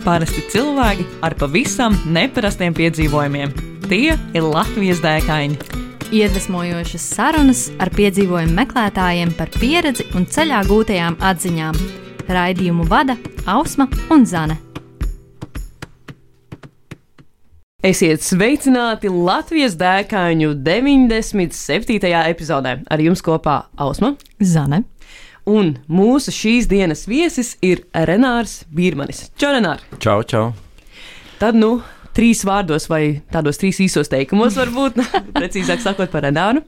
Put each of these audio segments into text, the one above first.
Parasti cilvēki ar pavisam neparastiem piedzīvojumiem. Tie ir Latvijas dēkaini. Iedvesmojošas sarunas ar piedzīvojumu meklētājiem par pieredzi un ceļā gūtajām atziņām. Raidījumu vada Ausma un Zane. Esiet sveicināti Latvijas dēkaņu 97. epizodē. Ar jums kopā Ausma, Zane. Un mūsu šīs dienas viesis ir Renārs Bīrmanis. Čau, Renār! Čau, čau! Tad, 3 vārdos vai tādos 3 īsos teikumos varbūt, precīzāk sakot par Renāru.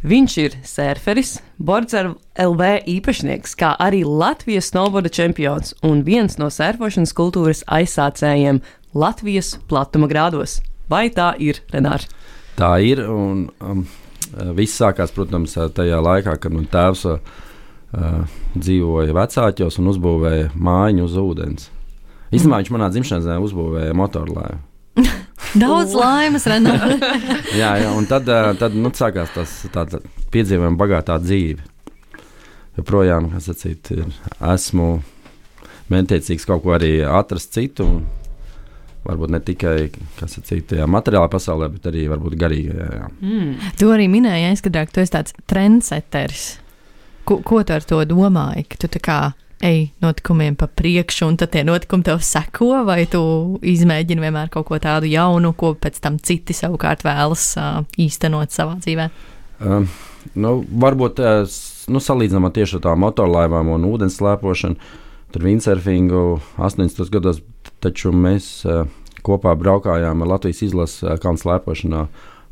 Viņš ir sērferis, Bordzera LV īpašnieks, kā arī Latvijas snowboarda čempions un viens no sērfošanas kultūras aizsācējiem Latvijas platuma grādos. Vai tā ir, Renār? Tā ir, un viss sākās, protams, tajā laikā, kad man tēvs dzīvoja vecāķos un uzbūvēja mājiņu uz ūdens. Īstenībā viņš manā dzimšanas dienā uzbūvēja motorlaivu. Daudz laimes, Renār. jā, un tad sākās tāda piedzīvojuma bagātā dzīve. Joprojām, kā sacīt, esmu mērķtiecīgs kaut ko arī atrast citu, un varbūt ne tikai, kā sacīt, tajā materiālā pasaulē, bet arī varbūt garīgajā. Tu arī minēji aizkadrā, ka tu esi tāds trendseteris. Ko tu ar to domāji? Ka tu tā kā ej notikumiem pa priekšu, un tad tie notikumi tev seko, vai tu izmēģini vienmēr kaut ko tādu jaunu, ko pēc tam citi savukārt vēlas īstenot savā dzīvē? Varbūt salīdzinām tieši ar tām motorlaivām un ūdens slēpošanu, tur windsurfingu 80. gados, taču mēs kopā braukājām ar Latvijas izlases kalnu slēpošanā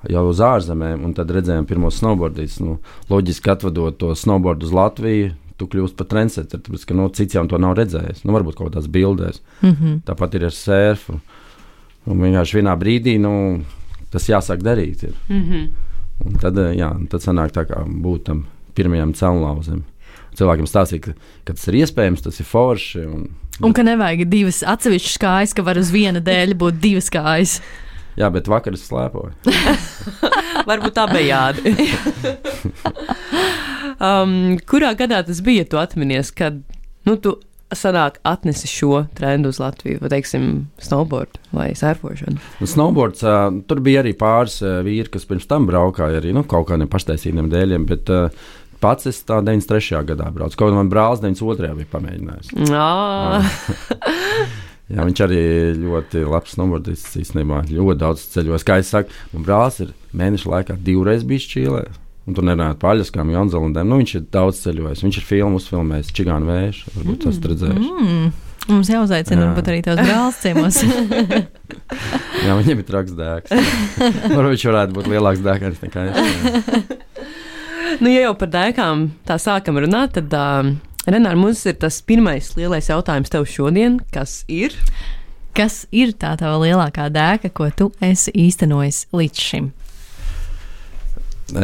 jau uz ārzemēm, un tad redzējām pirmos snowboardistus. Loģiski atvedot to snowboardu uz Latviju, tu kļūst par trendseteri, tāpēc, ka cits jau to nav redzējis. Varbūt kaut kādās bildēs. Tāpat ir ar sērfu. Un vienkārši vienā brīdī tas jāsāk darīt. Un tad sanāk tā kā būt tam pirmajam celmlauzim. Cilvēkiem stāstīja, ka tas ir iespējams, tas ir forši. Un ka nevajag 2 atsevišķas kājas, ka var uz viena dēļ būt 2 kājas. Jā, bet vakar es slēpoju. Varbūt tā bija jādi. Kurā gadā tas bija, tu atminies, kad tu sanāk atnesi šo trendu uz Latviju, vai teiksim snowboard vai sērfošanu? Snowboards, tur bija arī pāris vīri, kas pirms tam braukāja arī kaut kādiem paštaisītiem dēļiem, bet pats es tā 93. gadā braucu. Kaut man brālis 92. bija pamēģinājis. Jā, viņš arī ļoti labs snowboardists, īstenībā ļoti daudz ceļos. Kā es saku, man brālis ir mēneša laikā 2 reizes bijis Čīlē, un tur nerunājot par Aļaskām, Jaunzēlandēm. Viņš ir daudz ceļojis, viņš ir filmu uzfilmējis Čigānu vēju, varbūt tas redzējuši. Mums jāuzaicina, varbūt arī tavs brālis ciemos. Jā, viņam ir traks dēks. Varbūt viņš varētu būt lielāks dēkājs nekā es. Ja jau par dēkām tā sākam runāt, tad Renār, mums ir tas pirmais lielais jautājums tev šodien, kas ir? Kas ir tā tava lielākā dēka, ko tu esi īstenojis līdz šim?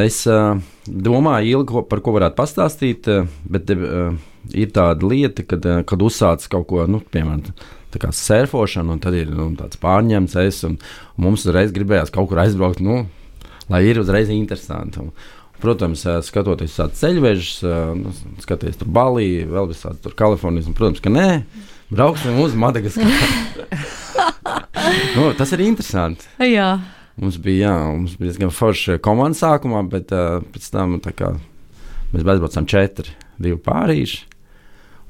Es domāju ilgi, par ko varētu pastāstīt, bet ir tāda lieta, kad uzsāc kaut ko, piemēram, tā kā sērfošana, un tad ir tāds pārņemts un mums uzreiz gribējās kaut kur aizbraukt, lai ir uzreiz interesanti. Protams, skatoties tādu ceļvežus, skaties tur Balī, vēl visādi tur Kalifornijas, un, protams, ka nē, brauksim uz Madagaskaru. Tas ir interesanti. Jā. Mums bija diezgan forša komanda sākumā, bet pēc tam mēs aizbraucām 4, 2 pārīši.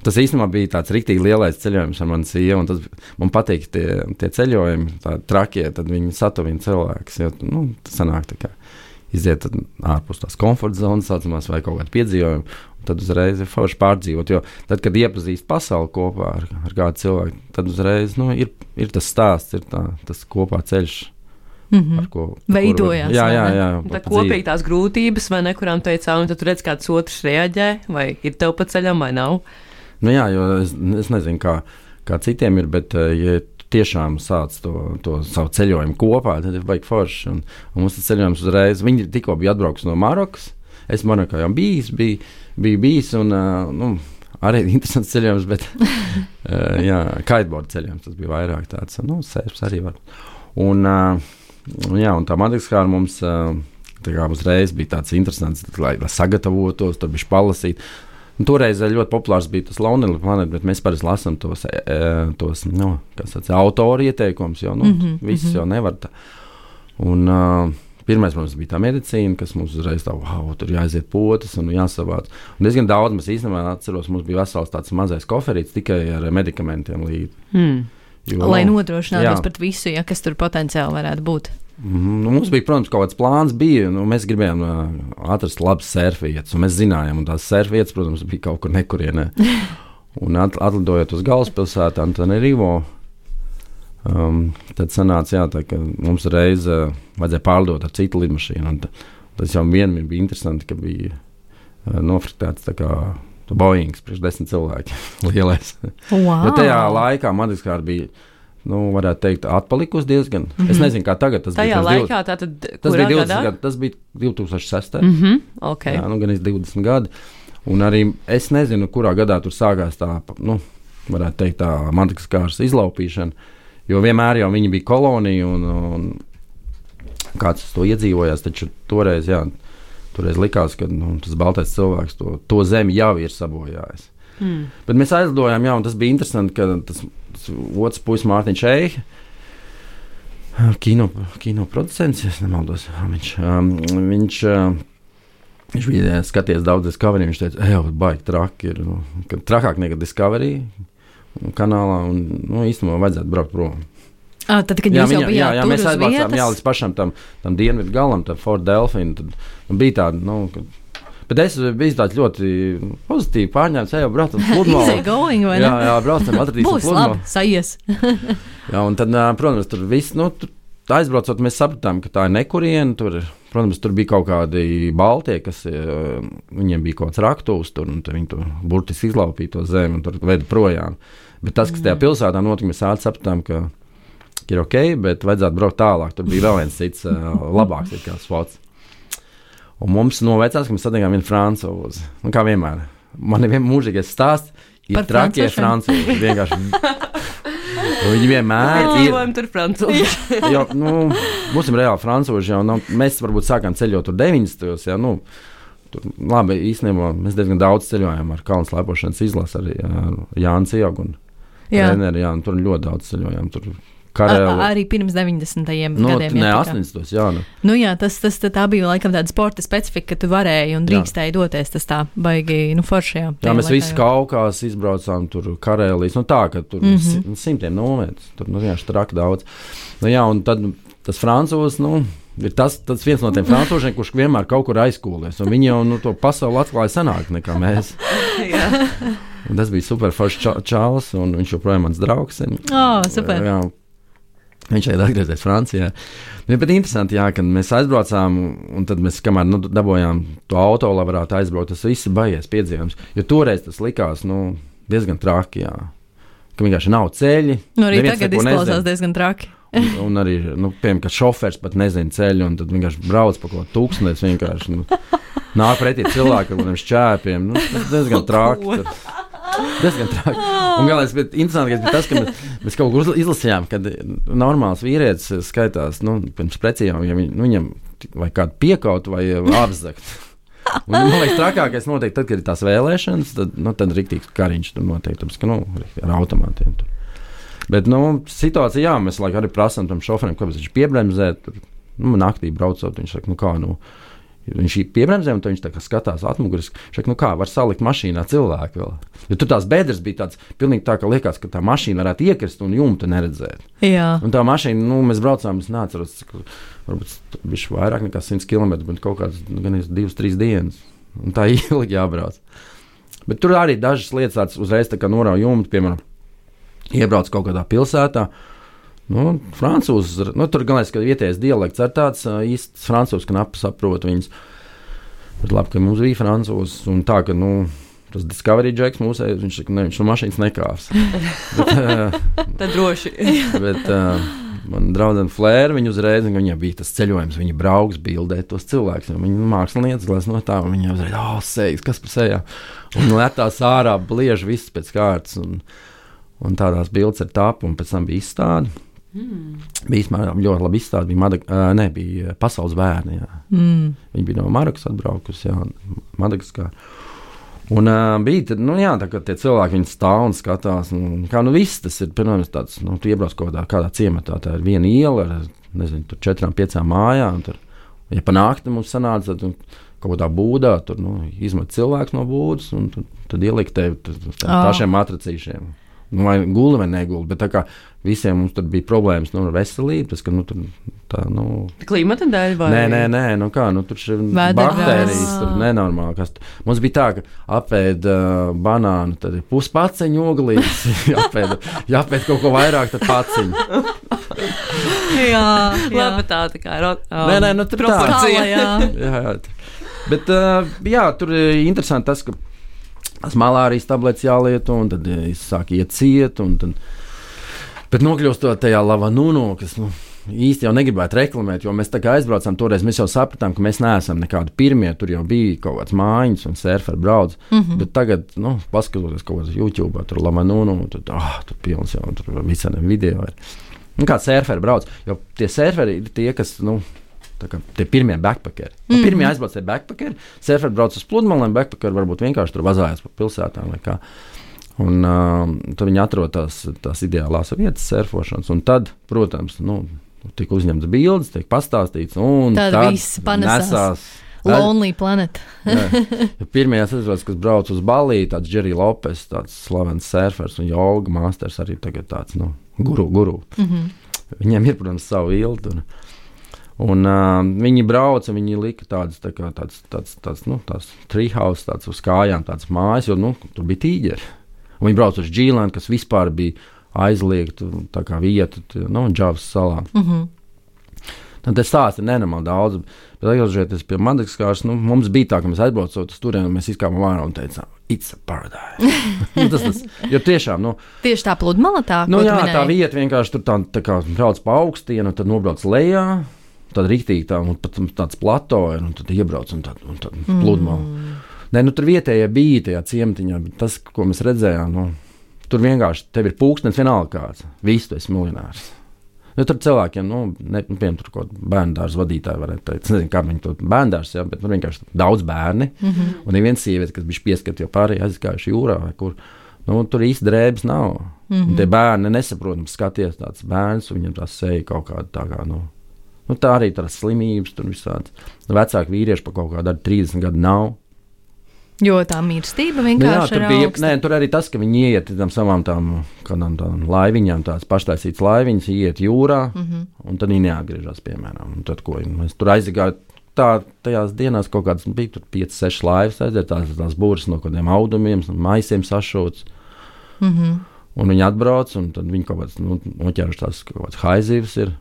Tas īstenībā bija tāds riktīgi lielais ceļojums ar mani sievu, un man patīk tie ceļojumi, tādi trakie, tad viņi satuvina cilvēkus, jo tas sanāk tā kā iziet ārpus tās komforta zonas, saucamās, vai kaut kādu piedzīvojumu, un tad uzreiz ir forši pārdzīvot, jo tad, kad iepazīst pasauli kopā ar kādu cilvēku, tad uzreiz ir tas stāsts, ir tas kopā ceļš, ar ko veidojās. Jā. Tā kopīgi tās grūtības, vai ne, kurām teicā, un tad tu redz, kāds otrs reaģē, vai ir tev pa ceļam, vai nav? Jā, jo es nezinu, kā citiem ir, bet ja tiešām sāc to savu ceļojumu kopā, tad ir baigi forši. Un mums tas ceļojums uzreiz, viņi tikko bija atbrauks no Marokas, es Marokā jau biju bijis, un arī interesants ceļojums, bet kiteboard ceļojums, tas bija vairāk tāds, sērps arī var. Un tā Madagaskara mums tā kā uzreiz bija tāds interesants, lai sagatavotos, tur bišķi palasīt. Toreiz ļoti populārs bija tas Lonely Planet, bet mēs parasti lasām tos autoru ieteikumus, jo visus jau nevar tā. Un pirmais, protams, bija tā medicīna, kas mums uzreiz tā, tur jāaiziet potas un jāsavāc. Un diezgan daudz mēs īstenībā atceros, mums bija vesels tāds mazais koferīts tikai ar medikamentiem līdzi. Lai nodrošinātos pret visu, kas tur potenciāli varētu būt. Mums bija, protams, kaut kāds plāns bija, mēs gribējām atrast labas surfvietas, un mēs zinājām, un tās surfvietas, protams, bija kaut kur nekurienē. Un atlidojot uz galvaspilsētu Antananarivo, tad sanāca, ka mums reiz vajadzēja pārlidot ar citu lidmašīnu, un tas jau vienmēr bija interesanti, ka bija nofriktēts tā kā Boeings priekš 10 cilvēki lielais. Wow. Jo tajā laikā Madagaskāra bija, varētu teikt, atpalikusi diezgan. Es nezinu, kā tagad tas tajā bija. Laikā tātad, tas bija 20 gadi, tas bija 2006. Okay. Jā, gan 20 gadi. Un arī es nezinu, kurā gadā tur sākās tā, varētu teikt, tā Madagaskāras izlaupīšana, jo vienmēr jau viņi bija kolonija un kāds to iedzīvojās, taču toreiz likās, ka tas baltais cilvēks to zemi jau ir sabojājis. Bet mēs aizlidojām, un tas bija interesanti, ka tas otrs puisis Mārtiņš Eihe, kino producents, ja es nemaldos, viņš bija skaties daudz Discovery, viņš teica, baigi traki ir, trakāk nekā Discovery kanālā, un īstenībā vajadzētu braukt prom. Tad, kad jūs jau bijāt tur mēs aizbraucām, līdz pašam tam dienvidu galam, tam Fort Delfinu, tad bija tāda, bet es biju tāds ļoti pozitīvi pārņēmts, braucam pludmali. Easy going, vai ne? Jā, braucam, atradīsim pludmali. Būs labi, sajies. Jā, un tad, protams, tur viss, aizbraucot, mēs sapratām, ka tā ir nekuriena, protams, tur bija kaut kādi baltie, kas, viņiem bija kaut kāds raktūs tur, un viņi tur burtiski izlaupīja to zemi, un tur veda projām. Bet tas, kas tajā pilsētā notika, mēs sapratām, ka ir ok, bet vajadzētu braukt tālāk. Tur bija vēl viens cits labāks spots. Un mums novecās, ka mēs satiekām vienu francūzi. Kā vienmēr. Man ir mūžīgais stāsts, ir trakie francūži. Vienkārši. Viņi vienmēr ir. Tur francūži. Jo, būsim reāli francūži jau. Mēs varbūt sākām ceļot tur 90. Tur, labi, īstenībā mēs diezgan daudz ceļojām ar kalnu slēpošanas izlasi arī Jānis Ieogu un Reneri. Un tur ļoti daudz ceļojām. Tur arī pirms 90. gadiem. Nē, 80. Jā. Tā bija laikam tāda sporta specifika, ka tu varēji un drīkstēji doties. Tas tā baigi foršajā. Jā, mēs visi Kaukās izbraucām, tur Karēlijas, tā, ka tur simtiem nometus. Tur vienkārši traki daudz. Un tad tas francūzs, ir tas viens no tiem francūžiem, kurš vienmēr kaut kur aizkūlies. Un viņi jau to pasauli atklāja senāk nekā mēs. Un tas bija super foršs čalis, un viņš joprojām mans draugs. Super. Jā. Viņš šeit atgriezies Francijā. Bet interesanti, kad mēs aizbraucām, un tad mēs, kamēr dabojām to auto, lai varētu aizbraukt, tas viss baigies piedzīvojums. Jo toreiz tas likās diezgan traki, ka vienkārši nav ceļi. Arī tagad izklausās diezgan traki. un arī, piemēram, ka šofers pat nezina ceļu, un tad vienkārši brauc pa kaut ko tūkstnēs, vienkārši nāk pretī cilvēki ar kādiem šķēpiem. Tas diezgan traki. Diezgan traki. Un galvenais, bet interesantākais bija tas, ka mēs kaut kur izlasījām, kad normāls vīrietis skaitās, pirms precījām, ja viņam vai kādu piekaut vai apzakt. Un, man liekas, trakākais noteikti tad, kad ir tās vēlēšanas, tad riktīgs kariņš tur noteikti, tāpēc, ka ar automātiem tur. Bet, situācija, mēs laikam arī prasām tam šoferim, kāpēc viņš piebremzē, tur, naktī braucot, viņš saka, viņš piebremzē, un viņš tā kā skatās atmuguriski. Viņš saka, kā var salikt mašīnā cilvēku vēl. Jo tur tās bedres bija tāds, pilnīgi tā, ka liekas, ka tā mašīna varētu iekrist un jumta neredzēt. Jā. Un tā mašīna, mēs braucām, es neatceros, varbūt bišķi vairāk nekā 100 km, bet kaut kāds, gan 2-3 dienas. Un tā ilgi jābrauc. Bet tur arī dažas lietas tāds uzreiz tā kā norauj jumtu, piemēram, iebrauc kaut kādā pilsētā. Francūzs, tur galvenais, ka vietējais dialekts ir tāds īsts francūzs, ka knapi saprot viņus. Bet labi, ka mums bija francūzs, un tā, ka, tas Discovery Jacks mūsējais, viņš saka, viņš no mašīnas nekārs. Tad droši. Bet man draudzene Flēra, viņa uzreiz, viņai bija tas ceļojums, viņa brauks bildēt tos cilvēkus, viņa mākslinieci glās no tā, un viņa uzreiz, sējas, kas pa sejā. Un letās ārā bliež viss pēc kārtas, un tādās bildes ir tap, un pēc tam bija izstāde. Bija ļoti labi izstāde, bija Pasaules bērni. Viņi bija no Marokas atbraukusi, Madagaskāra. Un bija tad, tā kā tie cilvēki, viņi stāv un skatās, kā viss tas ir, piemēram, tāds, tu iebrauc kādā ciematā, tā ir viena iela ar, nezinu, tur 4-5 mājām, tur, ja pa nakti mums sanāca, tad kaut kādā būdā, tur, izmet cilvēks no būdas, un tad ielikt tevi pašiem matracīšiem. Vai guli vai neguli, bet tā kā visiem mums tur bija problēmas ar veselību, tas, ka, Klimata dēļ vai? Nē, tur ir baktērijas, tur nenormāli. Mums bija tā, ka apēd banānu, tad ir puspaceņu oglīs, jāpēd kaut ko vairāk, tad paciņu. jā. Labi, tā kā Nē, tur proporcija. Jā. Bet, tur ir interesanti tas, ka tas malārijas tablets jālieto, un tad sāk iet ciet, bet nokļūstot tajā Lavanūno, kas, īsti jau negribētu reklamēt, jo mēs tā kā aizbraucām toreiz, mēs jau sapratām, ka mēs neesam nekādi pirmie, tur jau bija kaut kāds mājiņas un surferi brauc, bet tagad, paskatoties kaut kāds YouTube, tur Lavanūno, tad, tur pilns jau, tur visādiem video ir. Kā surferi brauc, jo tie surferi ir tie, kas, tie pirmie backpackeri. Pirmie aizbrauc tie backpackeri, surferi brauc uz pludmalēm, backpackeri varbūt vienkārši tur vazājās pa pilsētām vai kā. Un tad viņi atrod tās ideālās vietas surfošanas, un tad, protams, tiek uzņemts bildes, tiek pastāstīts, un tad viss panesās. Lonely Planet. Pirmie aizbrauc, kas brauc uz Balī, tāds Jerry Lopes, tāds slavens surfers un joga masters arī tagad tāds, guru. Viņiem ir, protams, savu ildu. Un viņi brauca, viņi lika tādas treehouse, tāds uz kājām, tādas mājas, jo, tur bija tīģeri. Un viņi brauca uz Džīlēnu, kas vispār bija aizliegta, tā kā vieta, Džavas salā. Tad tas stāsts ir nenormāli daudz, bet atgriežoties pie Madagaskaras, mums bija tā, ka mēs aizbraucot uz turieni, un mēs izkāpām ārā un teicām, it's a paradise. Jo tiešām, tieši tā pludmala tā, ko tu minēji? Tā vieta vienkārši tur tā kā brauc pa augstienu, tad nobrauc lejā, tad riktīgi tā, un pat tāds plato ir, un tad iebrauc, un tad pludmala. Nē, tur vietējie bija tajā ciematiņā, bet tas, ko mēs redzējām, tur vienkārši tev ir pulkstenis vienalga kāds, visu tu esi miljonārs. Tur cilvēkiem, piemēram, tur kaut bērnu dārza vadītāji varētu teikt, es nezinu, kā viņi to bērnu dārza, bet tur vienkārši daudz bērni, un ir viens sieviete, kas bija pieskat, jo pārējie aizgājuši jūrā vai kur, tur īsti drēbes nav. Un tie bērni nesaprotams skaties tāds bērns, un viņam tās seja kaut kāda tā kā, tā arī tās slimības, tur visāds. Vecāki vīrieši pa kaut kādu 30 gadu nav. Jo tā mīlestība vienkārši ir augsta. Nē, tur arī tas, ka viņi iet tam savām kādām laiviņām, tās paštaisītas laiviņas, iet jūrā, un tad viņi neatgriežas, piemēram. Un tad, ko mēs tur aizgāju, tajās dienās kaut kāds bija tur 5-6 laivas aiziet, tās būras no kādiem audumiem, maisiem sašūts. Un viņi atbrauc, un tad viņi kaut kāds noķēruši tās kaut kāds haizivs ir.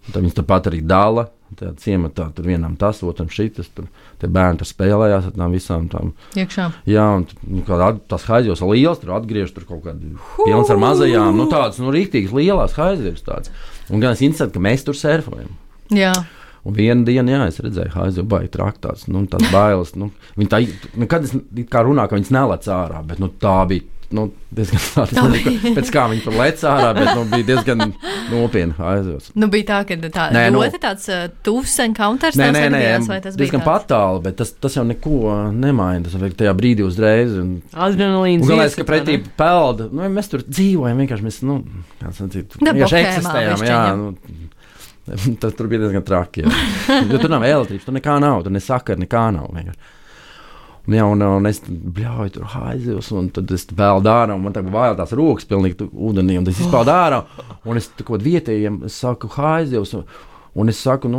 Tad viņas tāpat arī dala, tajā ciematā, tur vienam tas, otram šitas, tur tie bērni tur spēlējās ar tām visām tām. Iekšā. Jā, un tās haizivs liels, tur atgriež tur kaut kādi pilns ar mazajām, tādas, rīktīgas lielās haizivs tāds. Un gan es interesanti, ka mēs tur surfojam. Jā. Un vienu dienu, es redzēju haizivs, baigi traktāts, tās bailes, viņi tā, kad es kā runā, ka viņas nelec ārā, bet, tā bija. Diezgan tāda, pēc kā viņi tur lec ārā, bet bija diezgan nopietni aizjūtas. Bija tā, ka ļoti tāds tuvs encounters tās gadījās, vai tas bija diezgan patāli, bet tas jau neko nemaina, tas vajag tajā brīdī uzreiz. Adrenalīns. Un galvenais, ka pretī pelda, mēs tur dzīvojam, vienkārši mēs, vienkārši eksistējam, tas tur bija diezgan traki, jo tur nav elektrības, tur nekā nav, tur ne sakara, nekā nav vienkārši. Un es bļauju tur haizivs, un tad es peldu ārā, un man tagad vajag tās rokas pilnīgi ūdenī, un es izpeldu ārā, un es kaut vietējiem saku haizivs, un es saku,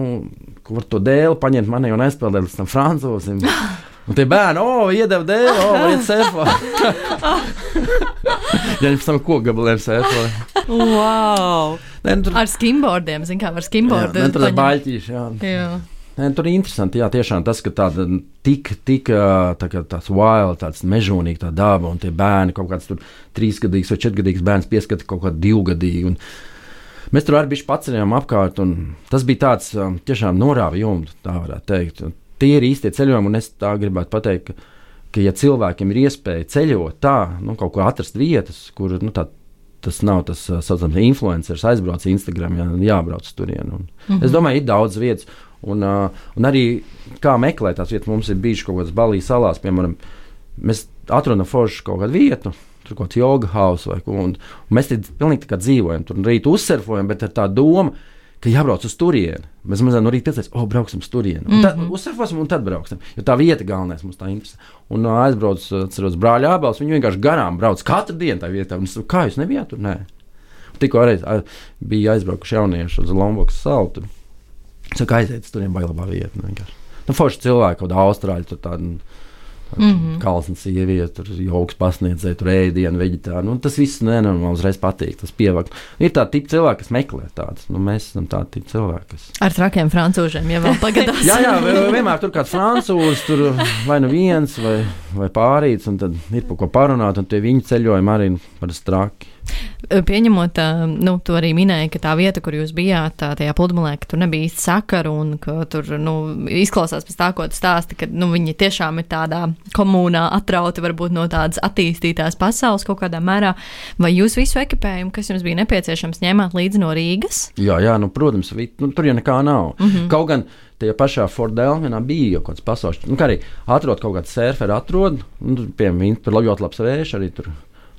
ko var to dēli paņemt manī un aizpeldēt līdz tam francūzim. Un tie bērni, iedeva dēli, variet surfā. Ja viņi pēc tam kokgabaliem surfā. Wow! Ar skimboardiem, zin kā, var skimboardu. Tur ir baļķīši, jā. Tur ir interesanti, tiešām tas, ka tāda tik tāds wild, tāds mežonīgi tā daba, un tie bērni, kaut kāds tur 3-gadīgs vai 4-gadīgs bērns pieskata kaut kādu 2-gadīgu. Mēs tur arī bišķi paceļām apkārt, un tas bija tāds tiešām norāva jumtu, tā varētu teikt. Tie ir īstie ceļojumi, un es tā gribētu pateikt, ka ja cilvēkiem ir iespēja ceļot tā, kaut ko atrast vietas, kur, tas nav tas saucams influenceris, aizbrauc Instagram, jābrauc turien. Es domāju, ir daudz vietas. Un arī kā meklēt tās vietas, mums ir bijuši kaut kādas Balijas salās, piemēram, mēs atrodam foršu kaut kādu vietu, tur kaut kāds joga house vai ko, un mēs te pilnīgi tā kā dzīvojam, tur rīt uzsurfojam, bet ar tā doma, ka jābrauc uz turieni. Mēs mazliet no rīta piecēs, brauksim uz turieni. Un tad uzsurfosim un tad brauksim, jo tā vieta galvenais mums tā interesē. Un aizbrauc, atceros, brāļa Ābels, viņi vienkārši garām brauc katru dienu tā vietā. Un es saku, kā jūs nebijāt tur? Nē. Tikko arī bija aizbraukuši jaunieši uz Lombokas salu. Tur. Es saku, aiziet, turiem baigi labā vieta. Nu, forši cilvēki, kaut kāda Austrāļa, tur tāda kalsna sieviete, tur jogas pasniedzēja, tur ēdienu, veģetāri. Nu, tas viss man uzreiz patīk, tas pievakt. Ir tādi tipi cilvēki, kas meklē tādas. Nu, mēs esam tādi tipi cilvēki, kas... Ar trakiem francūžiem, ja vēl pagadās. jā, vienmēr tur kāds francūzs, tur vai nu viens, vai pārīts, un tad ir par ko parunāt, un tie viņi ceļojumi arī parasti traki. Pieņemot, tu arī minēji, ka tā vieta, kur jūs bijāt, tajā pludmalē, ka tur nebija īsti sakaru un ka tur, izklausās pēc tā, ko tu stāsti, ka, viņi tiešām ir tādā komunā atrauti varbūt no tādas attīstītās pasaules kaut kādā mērā. Vai jūs visu ekipējumu, kas jums bija nepieciešams, ņēmāt līdzi no Rīgas? Jā, protams, tur jau nekā nav. Kaut gan tajā pašā Fort Delmenā bija jau kāds pasaules, kā arī atrod kaut kāds surferi piemēram, tur ļoti labs vējš arī tur.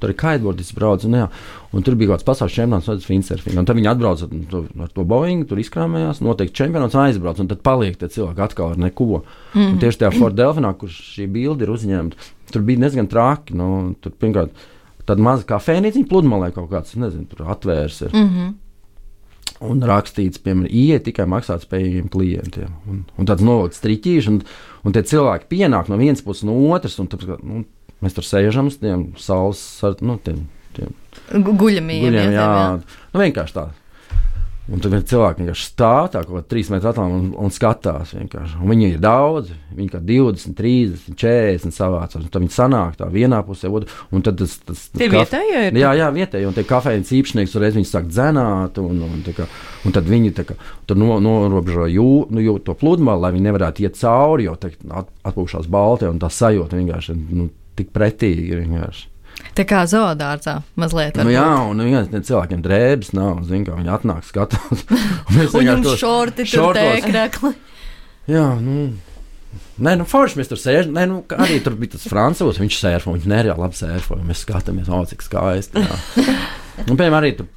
Tur ir kiteboardis brauc, un tur bija kaut kāds pasaules čempionāts windsurfing. Un tad viņi atbrauc ar to Boeing, tur izkrāmējās, noteikti čempionāts un aizbrauc, un tad paliek tie cilvēki atkal ar neko. Un tieši tajā Fort Delfinā, kur šī bilde ir uzņemta, tur bija diezgan traki. Tur pirmkārt tāda maza kafejnīciņa pludmalē kaut kāds, nezinu, tur atvērs ir. Un rakstīts, piemēram, ieiet tikai maksātspējīgiem klientiem. Un tāds novilkts striķīši, un tie cilvēki pienāk no vienas puses, no otras, un tāpēc, mēs tur sēžam uz tiem saules, tiem guļamiem. Jā. Vienkārši tā. Un tad cilvēki vienkārši stāv tā kaut kā 3 metru attālumā un skatās vienkārši. Un viņi ir daudz, viņi kā 20, 30, 40 savācās. Un tad viņi sanāk tā vienā pusē, un tad tas tie vietējie ir? Jā, vietējie, un tie kafejnīcas īpašnieks reiz viņi sāk dzenāt, un tad viņi tā kā tur norobežo to pludmali, lai viņi nevarētu iet cauri, jo atpūšās balti, un tā sajūta vienkārši tik pretīgi vienkārši. Tā kā zoodārzā mazliet. Jā, un cilvēkiem drēbes nav, kā viņi atnāk skatās. Un jums šorti tur tēkrekli. Jā, forši mēs tur sēžam. Arī tur bija tas francūs, viņš sērfo, viņš nereāli labi sērfo, un mēs skatāmies, cik skaisti. Un, piemēram, arī tur,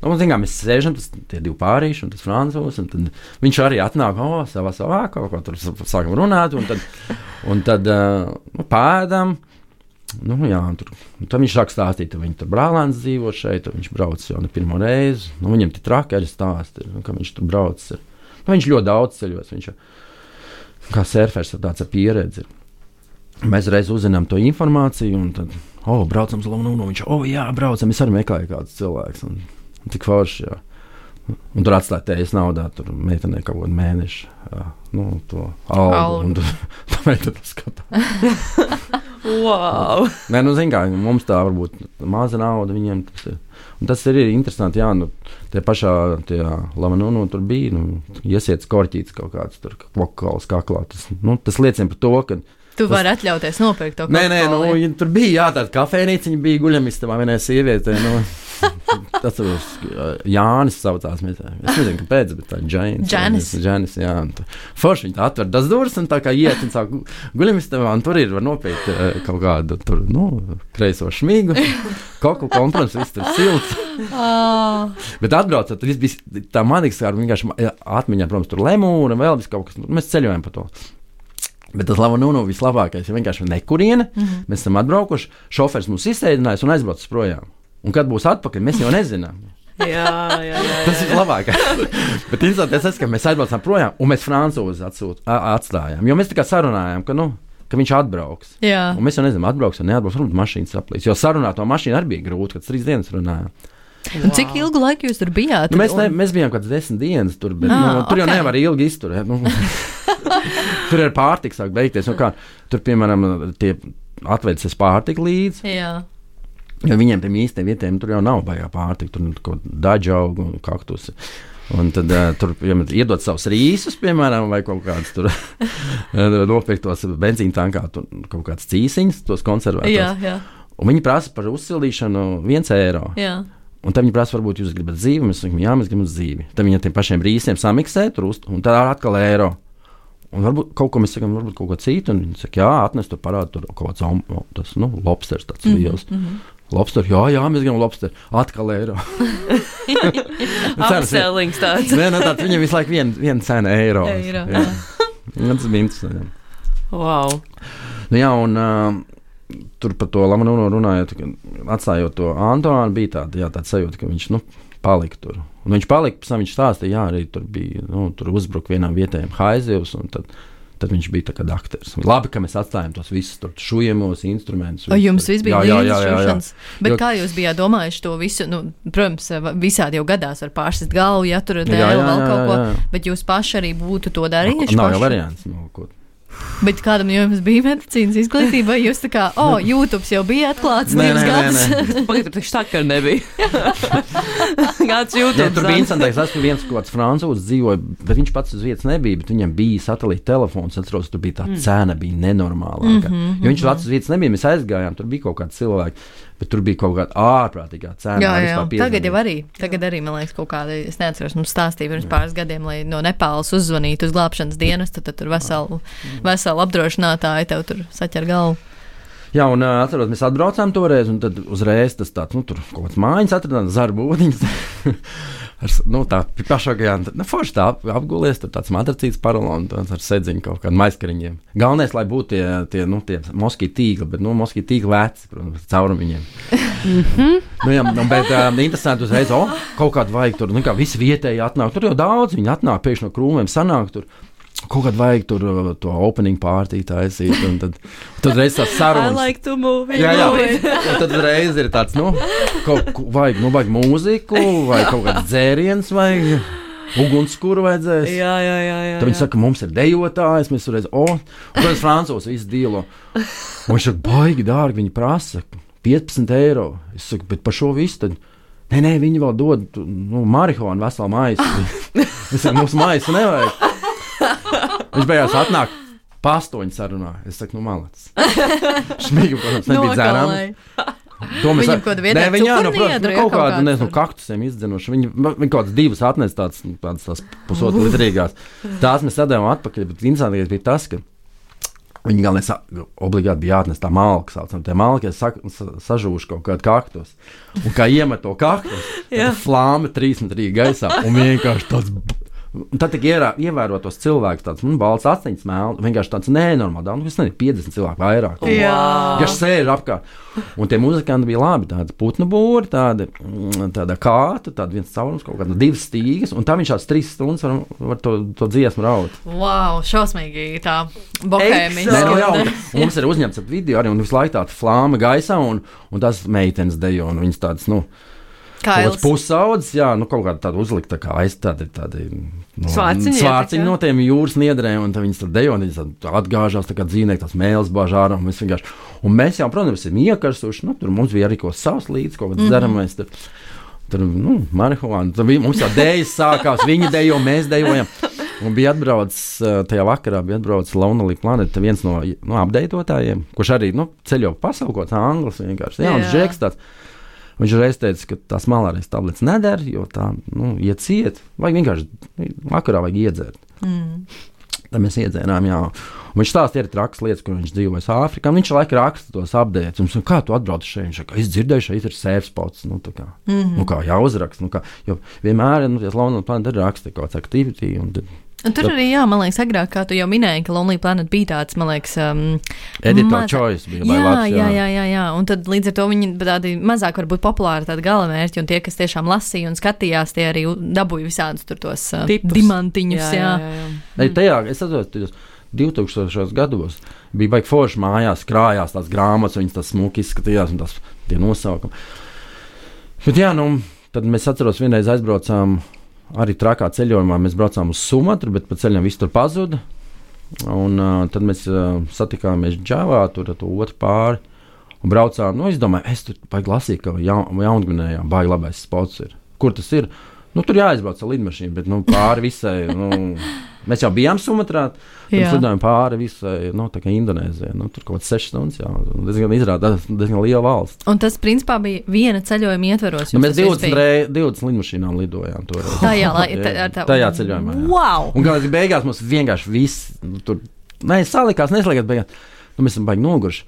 mēs sēžam, tie 2 pārīši, un tas francūs, un tad viņš arī atnāk, savā kaut ko tur sākam runāt, un tad pēdam. Tad viņš sāk stāstīt, ka viņi tur brālēns dzīvo šeit, viņš brauc jau ne pirmo reizi. Viņam tie traki arī stāsti, ka viņš tur brauc. Viņš ļoti daudz ceļos, viņš kā surfers tāds ar pieredzi. Mēs reiz uzzinām to informāciju, un tad, braucam uz Lomonu, viņš, jā, braucam, es arī meklēju kādus cilvēkus, un tik forši, jā. Un tur atstāja tējas naudā, tur meitenē kaut kādu mēnešu, to algu, un tā meitene skatā. Wow! Nē, kā, mums tā varbūt maza nauda viņiem tas ir. Un tas ir interesanti, tie pašā Lamanunu tur bija, iesiets korķīts kaut kāds tur vokāls kaklā. Tas liecina par to, ka tu vari atļauties nopirkt to kokoli. Nē, tur bija, tāda kafejnīciņa bija guļamistabā vienai sievietei, tas Jānis saucās, es nezinu, kāpēc, bet tā Džanis, jā. Forši viņi tā atver tas durvis un tā kā iet un sāk guļamistabā, un tur var nopirkt kaut kādu tur, kreiso šmigu, koku, protams, viss tur silts. Bet atbraucot, tad viss bija tā manikskāra, vienkārši atmiņā, protams, tur lemūna, vēl viss kaut kas, mēs ceļojam pa to. Bet tas Lamanunu vislabākais ir vienkārši nekuriena. Mēs esam atbraukuši, šofers mums izsēdinājis un aizbraucis projām. Un kad būs atpakaļ, mēs jau nezinām. Jā. Tas ir labākais. Bet interesanti tas, ka mēs aizbraucām projām un mēs francūzi atstājām. Jo mēs tā kā sarunājām, ka viņš atbrauks. Jā. Un mēs jau nezinām, atbrauks vai neatbrauks, varbūt mašīnas saplīs. Jo sarunāt to mašīnu arī bija grūti, kad 3 dienas runājām. Wow. Cik ilgu laiku jūs tur bijāt? Mēs bijām kāds 10 dienas tur, bet tur jau nevar ilgi izturēt. Tur ir pārtika sāk beigties. Tur, piemēram, tie atvedas pārtika līdzi. Jā. Jo viņiem tiem īstiem vietiem tur jau nav baigā pārtika. Tur kaut daļaugu un kaktusi. Un tad tur iedod savus rīsus, piemēram, vai kaut kādus tur nopirkt tos benzīna tankā, kaut kāds cīsiņus, tos konservētos. Jā. Un viņi prasa par uzsildīšanu 1 eiro. Jā. Un tad viņi prasa, varbūt jūs gribat dzīvi, mēs sakām, jā, mēs gribam dzīvi. Tad viņi ar tiem pašiem rīsiem samiksē tur un tad atkal eiro. Un varbūt kaut ko mēs sakām, varbūt kaut ko citu. Un viņi saka, jā, atnes tur parādu, tur kaut kāds lobsters tāds liels. Lobster, jā, mēs gribam lobster. Atkal eiro. Upsellings tāds. Nē, tāds viņam visu laiku viena cena eiro. Jā. Tas bija interesanti. Wow. Nu, jā, un tur par to Lamanūnu runājot, atstājot to Antoānu, bija tāda sajūta, ka viņš, palika tur. Un viņš palika, pēc tam viņš stāstīja, jā, arī tur bija, tur uzbruka vienām vietējiem haizivs, un tad viņš bija tā kā aktieris. Labi, ka mēs atstājām tos visus tur šujamos instrumentus. O jums viss bija līdzšūšanas. Bet kā jūs bijāt domājuši to visu? Protams, visādi jau gadās var pārsist galvu, ja tur dēļ vēl kaut ko, bet jūs paši arī būtu to darījuši? Nav jau variants. Bet kādam jums bija medicīnas izglītība, vai jūs tā kā, YouTube jau bija atklāts 2 gadus? Pagad, tur taču tā, ka nebija. Kāds YouTube? Tur bija interesantais, esmu viens kaut kāds francūzs dzīvoja, bet viņš pats uz vietas nebija, bet viņam bija satelīta telefons, atceros, tur bija tā cena, bija nenormālāka. Jo viņš pats uz vietas nebija, mēs aizgājām, tur bija kaut kādi cilvēki, bet tur bija kaut kāda ārprātīgā cena. Jā, tagad arī, man liekas, kaut kāda, es neatceros, mums stāstīja pirms pāris gadiem, lai no Nepāles uzzvanītu uz glābšanas dienestu, tad tur veselu apdrošinātāju tev tur saķer galvu. Jā, un atceros, mēs atbraucām toreiz, un tad uzreiz tas tāds, tur kaut kāds mājiņas atradām, zarbūdiņas. Tā pašākajā, forši tā apgulies, tur tāds matracīts paralons, ar sedziņu kaut kādiem maizkariņiem. Galvenais, lai būtu tie moskītu tīkli, bet moskītu tīkli veci, protams, caurum viņiem. Bet interesanti uzreiz, kaut kādu vajag tur, kā visi vietēji atnāk, tur jau daudz viņi atnāk, pēkšņi no krūmiem sanāk tur. Kaut kādā vajag tur to opening party taisīt, un tad reiz tās sarunas. I like to move. Jā. Un tad reiz ir tāds, vajag mūziku, vai kaut kāds dzēriens, vai ugunskura vajadzēs. Jā. Tad viņi saka, mums ir dejotājs, mēs reiz, un tad Francūs visu dīlo. Un viņš saka, baigi dārgi, viņi prasa 15 eiro. Es saku, bet par šo visu tad, nē, viņi vēl dod, marihuānu veselu maisu. Es saku, mums maisu nevajag. Viņš beigās atnāk, pa 8 sarunā. Es saku, malacis. Šmīgu, protams, nebija dzērām. Viņam kaut kāda vietā cukurniedru, kaut kādu, kaktusiem izdzinoši. Viņi kaut kādas 2 atnes tādas pusotru litrīgās. Tās mēs sadējām atpakaļ, bet interesantīgais bija tas, ka viņi galvenais obligāti bija jāatnes tā malka, saucam. Tie malki sažūši kaut kādu kaktus. Un kā iemet to kaktus, tad flāme 3 metrī gaisā. Un vienkārši tāds... Un tad tik ievērot tos cilvēkus, tāds balts astiņas mēl, vienkārši tāds nenormāli daudz, es nezinu, 50 cilvēku vairāk. Vienkārši sēž apkārt. Un tie muzikanti bija labi, tādi putnu būri, tāda kāta, tāda viens caurums, kaut kāda 2 stīgas, un tā viņš tāds 3 stundas var to dziesmu raut. Wow, šausmīgi tā bohēmija. Mums ir uzņemts ap video arī, un visu laiku tāda flāma gaisā, un tās meitenes dejo, un viņas tādas, kaut kāds pusaudzis, kaut kāda tāda uzlikta kā tādi svārciņi no tiem jūras niedrēm, un viņas tur dejo, un viņas atgāžās tā kā dzīvnieki, tās mēles bāž ārā, un mēs jau, protams, esam iekarsuši, tur mums bija arī kaut savs līdz, kaut kāds dzeramais, tur marihuāna, mums jau dējas sākās, viņi dejo, mēs dejojam, un bija atbraucis, tajā vakarā bija atbraucis Lonely Planet, viens no apdeitotājiem, kurš arī, ceļo pasauli, kaut kāds anglis vienkārši, jauns žeks tāds. Viņš reiz teica, ka tās malārijas tabletes neder, jo tā, iet ciet, vajag vienkārši vakarā vajag iedzert. Tad mēs iedzērām, jā. Un viņš stāsta, ir traks lietas, kur viņš dzīvojas Āfrikā, un viņš laika raksta tos updates, un kā tu atbrauc šeit? Viņš saka, es dzirdēju, šeit ir safe spots, kā jāuzraksta, jo vienmēr, Lonely Planet ir raksta kaut kāds activity, un tur arī, man liekas, agrāk, kā tu jau minēji, ka Lonely Planet bija tāds, man liekas, editor choice bija vai labs. Jā, un tad līdz ar to viņi tādi mazāk varbūt populāri tādi galamērķi, un tie, kas tiešām lasīja un skatījās, tie arī dabūja visādus tur tos dimantiņus, jā. Tajā, es atceros, 2000. gados bija baigi forši mājās, krājās tās grāmatas, viņas tās smuki izskatījās, un tās tie nosaukumi. Bet jā, tad mēs atceros, vienreiz aizbraucām arī trakā ceļojumā, mēs braucām uz Sumatru, bet pa ceļam viss tur pazuda. Un tad mēs satikāmies Džavā, tur to otru pāri, un braucām. Es domāju, es tur vajag lasīt, ka Jaungvinējā baigi labais spots ir. Kur tas ir? Tur jāizbrauc ar lidmašīnu, bet pāri visai, Mēs jau bijām Sumatrā, tad lidojām pāri visai, tā kā Indonēzijai. Tur kaut kāds 6 stundas, diezgan liela valsts. Un tas, principā, bija viena ceļojuma ietvaros. Mēs 20 lidmašīnām lidojām toreiz. Tajā ceļojumā. Wow! Un kā beigās mums vienkārši viss tur, salikās, neslēgās beigās. Mēs esam baigi noguruši.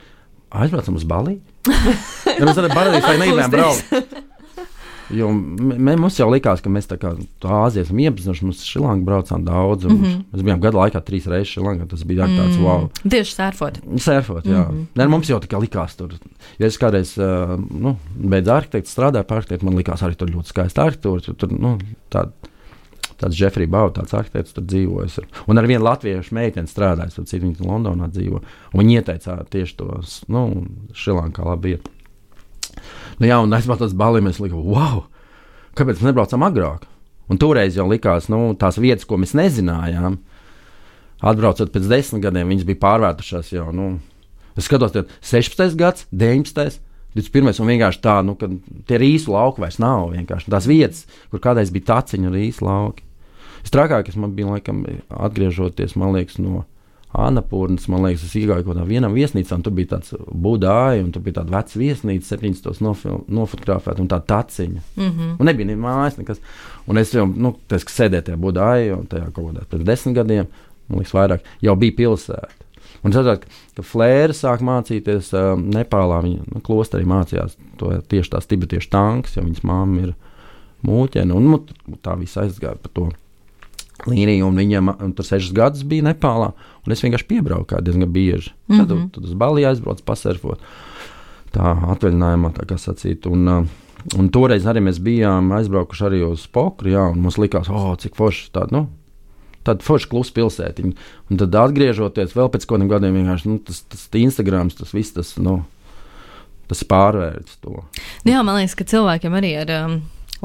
Aizbraucam uz Baliju. Mēs tādā paradīzē negribējām braukt. Jo mums jau likās, ka mēs tā kā Āzijas esam iepazinuši, mēs Šrilanku braucām daudz. Mēs bijām gada laikā 3 reizes Šrilankā, tas bija tāds wow. Tieši surfot. Surfot, jā. Mums jau tā kā likās tur. Ja es kādreiz beidz arhitektu, strādāju par arhitektu, man likās arī tur ļoti skaista arhitektūra. Tur, tāds Jeffrey Bau, tāds arhitekts tur dzīvojas. Un ar vienu latviešu meiteni strādājas, tad citu viņa Londonā dzīvo. Un viņi ieteica tieši to, Šrilankā labi iet. Un aizbraucot uz Baliju, mēs likām, wow, kāpēc mēs nebraucam agrāk? Un toreiz jau likās, tās vietas, ko mēs nezinājām, atbraucot pēc 10 gadiem, viņas bija pārvērtušās jau, es skatos, 16. gads, 19. 21. un vienkārši tā, ka tie rīsu lauki vairs nav vienkārši. Tās vietas, kur kādreiz bija taciņa rīsu lauki. Trakākais man bija, laikam, atgriežoties, man liekas, no Annapurnas, man liekas, es iegāju kaut kādā vienam viesnīcā, un tur bija tāds budāji, un tur bija tāda veca viesnīca, 70. nofotografēta, un tā taciņa. Un nebija ne mājas, nekas. Un es jau, tas, ka sēdēju tajā budāji, un tajā kaut kādā pēc 10 gadiem, man liekas vairāk, jau bija pilsēta. Un es saprotu, ka Flēra sāk mācīties Nepālā, viņa klosterī mācījās tieši tās tibetiešu tanks, jo viņas mamma ir mūķene, un tā viss aizgāja par to līniju, un viņam tur 6 gadus bija Nepālā, un es vienkārši piebraucu diezgan bieži. Tad uz Baliju aizbraucu pasarfot, tā atvaļinājumā, tā kā sacīt, un toreiz arī mēs bijām aizbraukuši arī uz Pokru, un mums likās, cik forši tāda, tāda forša klusa pilsētiņa. Un tad atgriežoties vēl pēc kādiem gadiem, vienkārši tas Instagrams, tas viss, tas pārvērts to. Jā, man liekas, ka cilvēkiem arī ar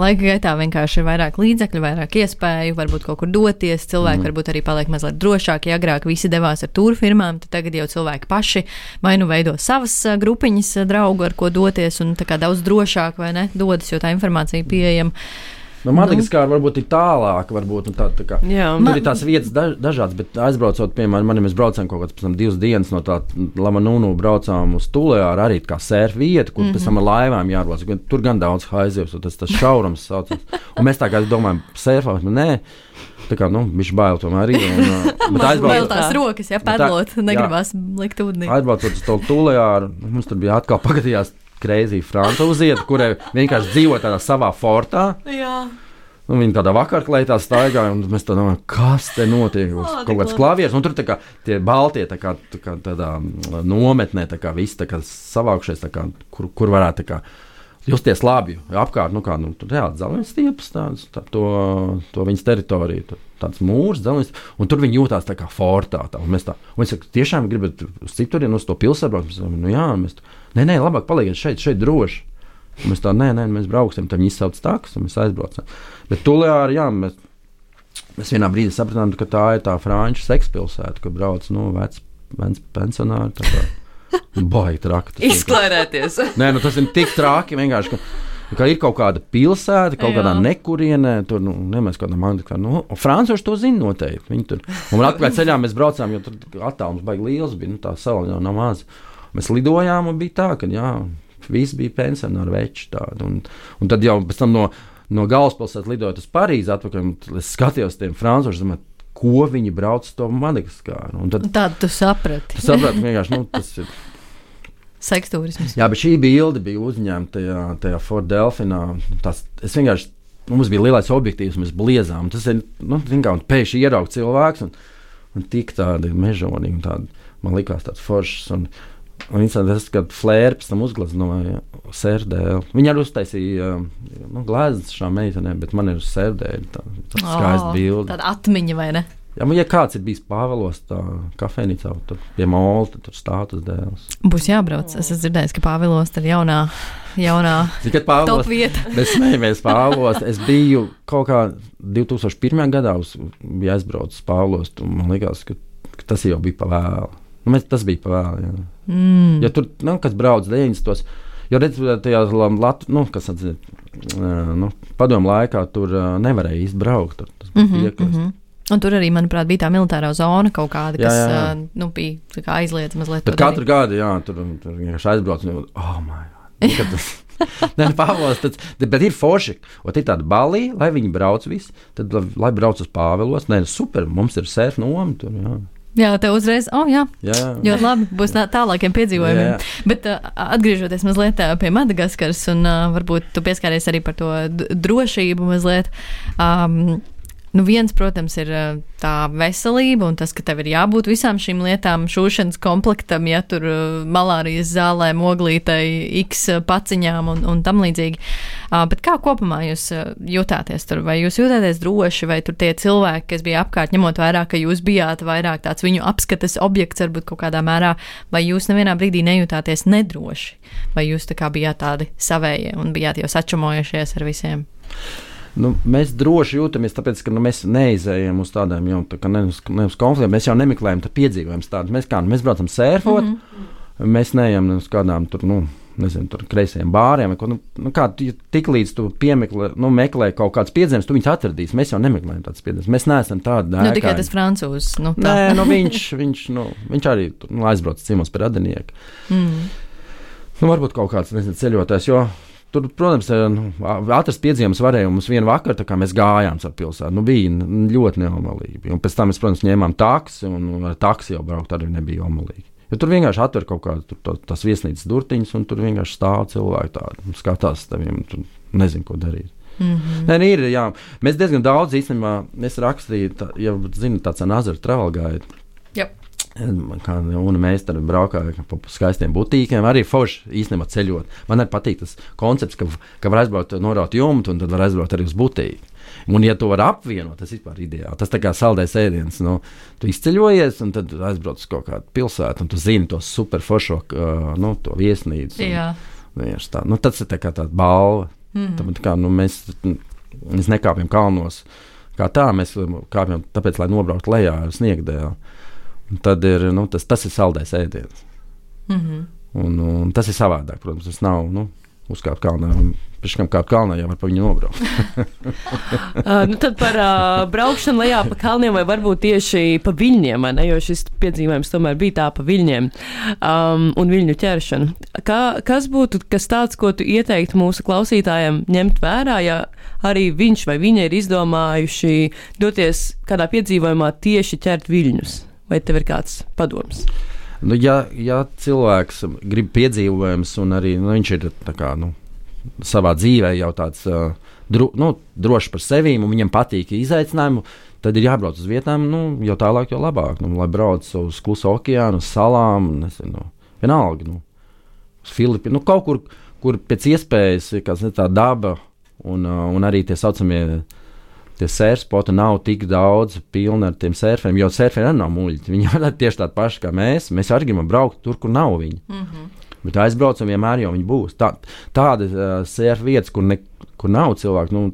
laika gaitā vienkārši ir vairāk līdzekļu, vairāk iespēju, varbūt kaut kur doties. Cilvēki varbūt arī paliek mazliet drošāki. Ja agrāk visi devās ar tūru firmām, tad tagad jau cilvēki paši vai veido savas grupiņas draugu, ar ko doties, un tā kā daudz drošāk, vai ne, dodas, jo tā informācija pieejama. Madagaskara varbūt ir tālāk, varbūt tā kā. Tur ir tās vietas dažādas, bet aizbraucot, piemēram, mēs braucām kaut kāds pēc tam 2 dienas no tā Lamanunu braucām uz Tulejāru, arī kā surf vieta, kur pēc tam ar laivām jārodas. Tur gan daudz haizivs, tas šaurums saucas. Un mēs tā kā domājam, surfot, nē, tā kā, bišķi bail tomēr arī. Vēl tās rokas, pedlot, negribās likt ūdenī. Aizbraucot uz to Tulejāru, mums tur bija atkal pagadījās Crazy francūzieta, kurai vienkārši dzīvo tādā savā fortā. Jā. Viņa tādā vakarklētā staigāja, un mēs tā domājam, kas te notiek? Kaut kāds klavieris, un tur tā kā tie baltie tā kā tādā nometnē, tā kā viss tā kā savākušies, tā kā, kur varētu tā kā justies labi. Apkārt, tur reāli dzelzceļa stiepas, to viņas teritoriju, tāds mūrs, dzelzceļa, un tur viņi jūtās tā kā fortā. Un mēs saka, tiešām gribat uz citurienu, uz to pilsētu? Jā, nē, labāk palieciet šeit droši. Un mēs mēs brauksim, tad viņi izsauc takas, un mēs aizbraucam. Bet Tulejāri, jā, mēs vienā brīdī sapratām, ka tā ir tā franču sekspilsēta, kur brauc, veci pensionāri, tā kā. Baigi traki. Izklaidēties. Nē, tas ir tik traki vienkārši, ka ir kaut kāda pilsēta, kaut kādā nekurienē, tur, nemēs kādā mandikā, francūši to zina noteikti. Viņi tur, un atpakaļ ceļā mēs braucām, jo tur attālums baigi liels bija, tā sala jau nav maz. Mēs lidojām, un bija tā, ka, visi bija pensionāri veči tādi, un tad jau pēc tam no galvaspilsētas lidojot uz Parīzi atpakaļ, es skatījos tiem francūšiem, ko viņi brauc uz to Madagaskaru. Tādu tu saprati. Tu saprati, vienkārši, tas ir seksturisms. Jā, bet šī bilde bija uzņemta tajā Fort Delfinā. Es vienkārši, mums bija lielais objektīvs, mēs bliezām. Tas ir, pēkšņi ieraugt cilvēks un tik tādi mežonīgi, man likās tāds foršs. Un tas, kad Flēra pēc tam uzgleznoja sērdēli. Viņa arī uztaisīja gleznas šā meitenē, bet man ir uz sērdēļi tā skaista bilde. Tāda atmiņa, vai ne? Jā, ja kāds ir bijis Pāvilos tā kafejnīcā, tur pie Molta, tur stātus dēls. Būs jābrauc. Es esmu dzirdējis, ka Pāvilos ir jaunā top vieta. Mēs smējamies Pāvilos. Es biju kaut kā 2001. gadā bija aizbraucis Pāvilos, un man likās, ka tas jau bija pa vēlu. Tas bija pa vēlu, jā. Ja tur, kas brauc 90. Jo redz, tajā kas atzīt, padomu laikā tur nevarēja īsti braukt. Tas bija piekrist. Un tur arī, manuprāt, bija tā militārā zona kaut kāda, kas bija tā kā aizliedz mazliet. Bet katru gadu, tur vienkārši aizbrauc un Nē, Pāvils, bet ir forši. Un ir tāda balija, lai viņi brauc visi, tad lai brauc uz Pāvilos. Nē, super, mums ir surf noma tur, Jā, tev uzreiz, ļoti labi, būs tālākiem piedzīvojumiem. Bet atgriežoties mazliet pie Madagaskaras, un varbūt tu pieskāries arī par to drošību mazliet. Viens, protams, ir tā veselība un tas, ka tev ir jābūt visām šīm lietām, šūšanas komplektam, ja tur malārijas zālēm, oglītei, X paciņām un tam līdzīgi. Bet kā kopumā jūs jūtāties tur? Vai jūs jūtāties droši, vai tur tie cilvēki, kas bija apkārt, ņemot vairāk, ka jūs bijāt vairāk tāds viņu apskates objekts, varbūt kaut kādā mērā, vai jūs nevienā brīdī nejūtāties nedroši? Vai jūs tā kā bijāt tādi savējie un bijāt jau sačumojušies ar visiem? Mēs droši jūtamies, tāpēc, ka mēs neizējām uz tādām jau ne uz konfliktiem. Mēs jau nemeklējam piedzīvojumus tādus. Mēs braucam sērfot, mēs neejam uz kādām tur kreisajiem bāriem. Tik līdz tu meklē kaut kāds piedzīvojums, tu viņus atradīsi. Mēs jau nemeklējam tādus piedzīvojumus. Mēs neesam tādi dēkaini. Tikai tas francūzs. Nē, viņš arī aizbrauc ciemos pie radinieku. Varbūt kaut kāds ceļotājs, jo tur, protams, atrast piedzīvojumus varēja mums vienu vakaru, tā kā mēs gājām ar pilsētu. Bija ļoti neomalīgi. Un pēc tam mēs, protams, ņēmām taksi, un ar taksi jau braukt arī nebija omalīgi. Jo tur vienkārši atver kaut kādu tās viesnīcas durtiņas, un tur vienkārši stāv cilvēki tādi, skatās teviem, tur nezinu, ko darīt. Nē, ir, mēs diezgan daudz, īstenībā, es rakstīju, tāds Nazara travel guide. Un mēs tad braukājām pa skaistiem butīkiem, arī forši īstenībā ceļot. Man arī patīk tas koncepts, ka var aizbraukt, noraut jumtu, un tad var aizbraukt arī uz butīti. Un, ja to var apvienot, tas ir ideāli. Tas tā kā saldais ēdiens. Tu izceļojies, un tad aizbrauc uz kaut kādu pilsētu, un tu zini to super foršo, to viesnīcu. Tas ir tā kā tāda balva. Mēs nekāpjam kalnos kā tā, mēs kāpjam tāpēc, lai nobrauktu lejā ar sniegdēlu. Tad ir, tas ir saldais ēdiens. Un tas ir savādāk, protams. Tas nav uzkāpt kalnā. Priekškam kāpt kalnā, jau var pa viņu nobraukt. Tad par braukšanu lejā pa kalniem vai varbūt tieši pa viļņiem, vai ne? Jo šis piedzīvojums tomēr bija tā pa viļņiem un viļņu ķeršanu. Kas būtu kas tāds, ko tu ieteiktu mūsu klausītājiem ņemt vērā, ja arī viņš vai viņa ir izdomājuši doties kādā piedzīvojumā tieši ķert viļņus? Vai tev ir kāds padoms? Ja cilvēks grib piedzīvojums un arī viņš ir tā kā, savā dzīvē jau tāds drošs par sevi un viņam patīk izaicinājumu, tad ir jābrauc uz vietām, jau tālāk, jau labāk. Lai brauc uz Kluso okeānu, uz salām, vienalga, uz Filipīnu, kaut kur, kur pēc iespējas tā daba un arī tie saucamie tie sērspoti nav tik daudz pilni ar tiem sērferiem, jo sērferi arī nav muļķi. Viņi ir tieši tādi paši kā mēs. Mēs arī gribam braukt tur, kur nav viņi. Bet aizbraucam vienmēr, jau viņi būs. Tāda sērfa vietas, kur nav cilvēku,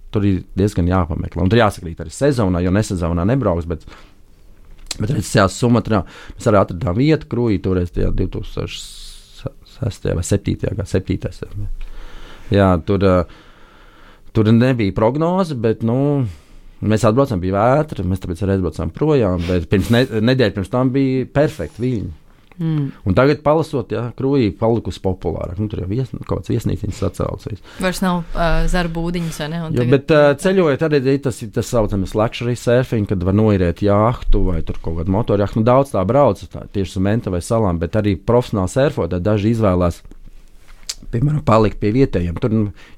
tur ir diezgan jāpameklē. Un tur jāsakrīt arī sezonā, jo nesezonā nebrauks, bet redzēs Sumatrā mēs arī atradām vietu krūjī, toreiz tajā 2006. vai 7. Jā, tur nebija prognoze, bet mēs atbraucām, bija vētra, mēs tāpēc arī aizbraucām projām, bet nedēļa pirms tam bija perfekti viļņi. Un tagad palasot, krūjī palikusi populārāk. Tur jau kaut kāds viesnīciņas sacēlsies. Vairs nav zara būdiņas, vai ne? Bet ceļojot arī tas saucamies luxury surfing, kad var noirēt jahtu vai tur kaut kādu motorjahtu. Daudz tā brauc, tieši Sumenta vai salām, bet arī profesionāli surfot, daži izvēlās, piemēram, palikt pie vietējiem.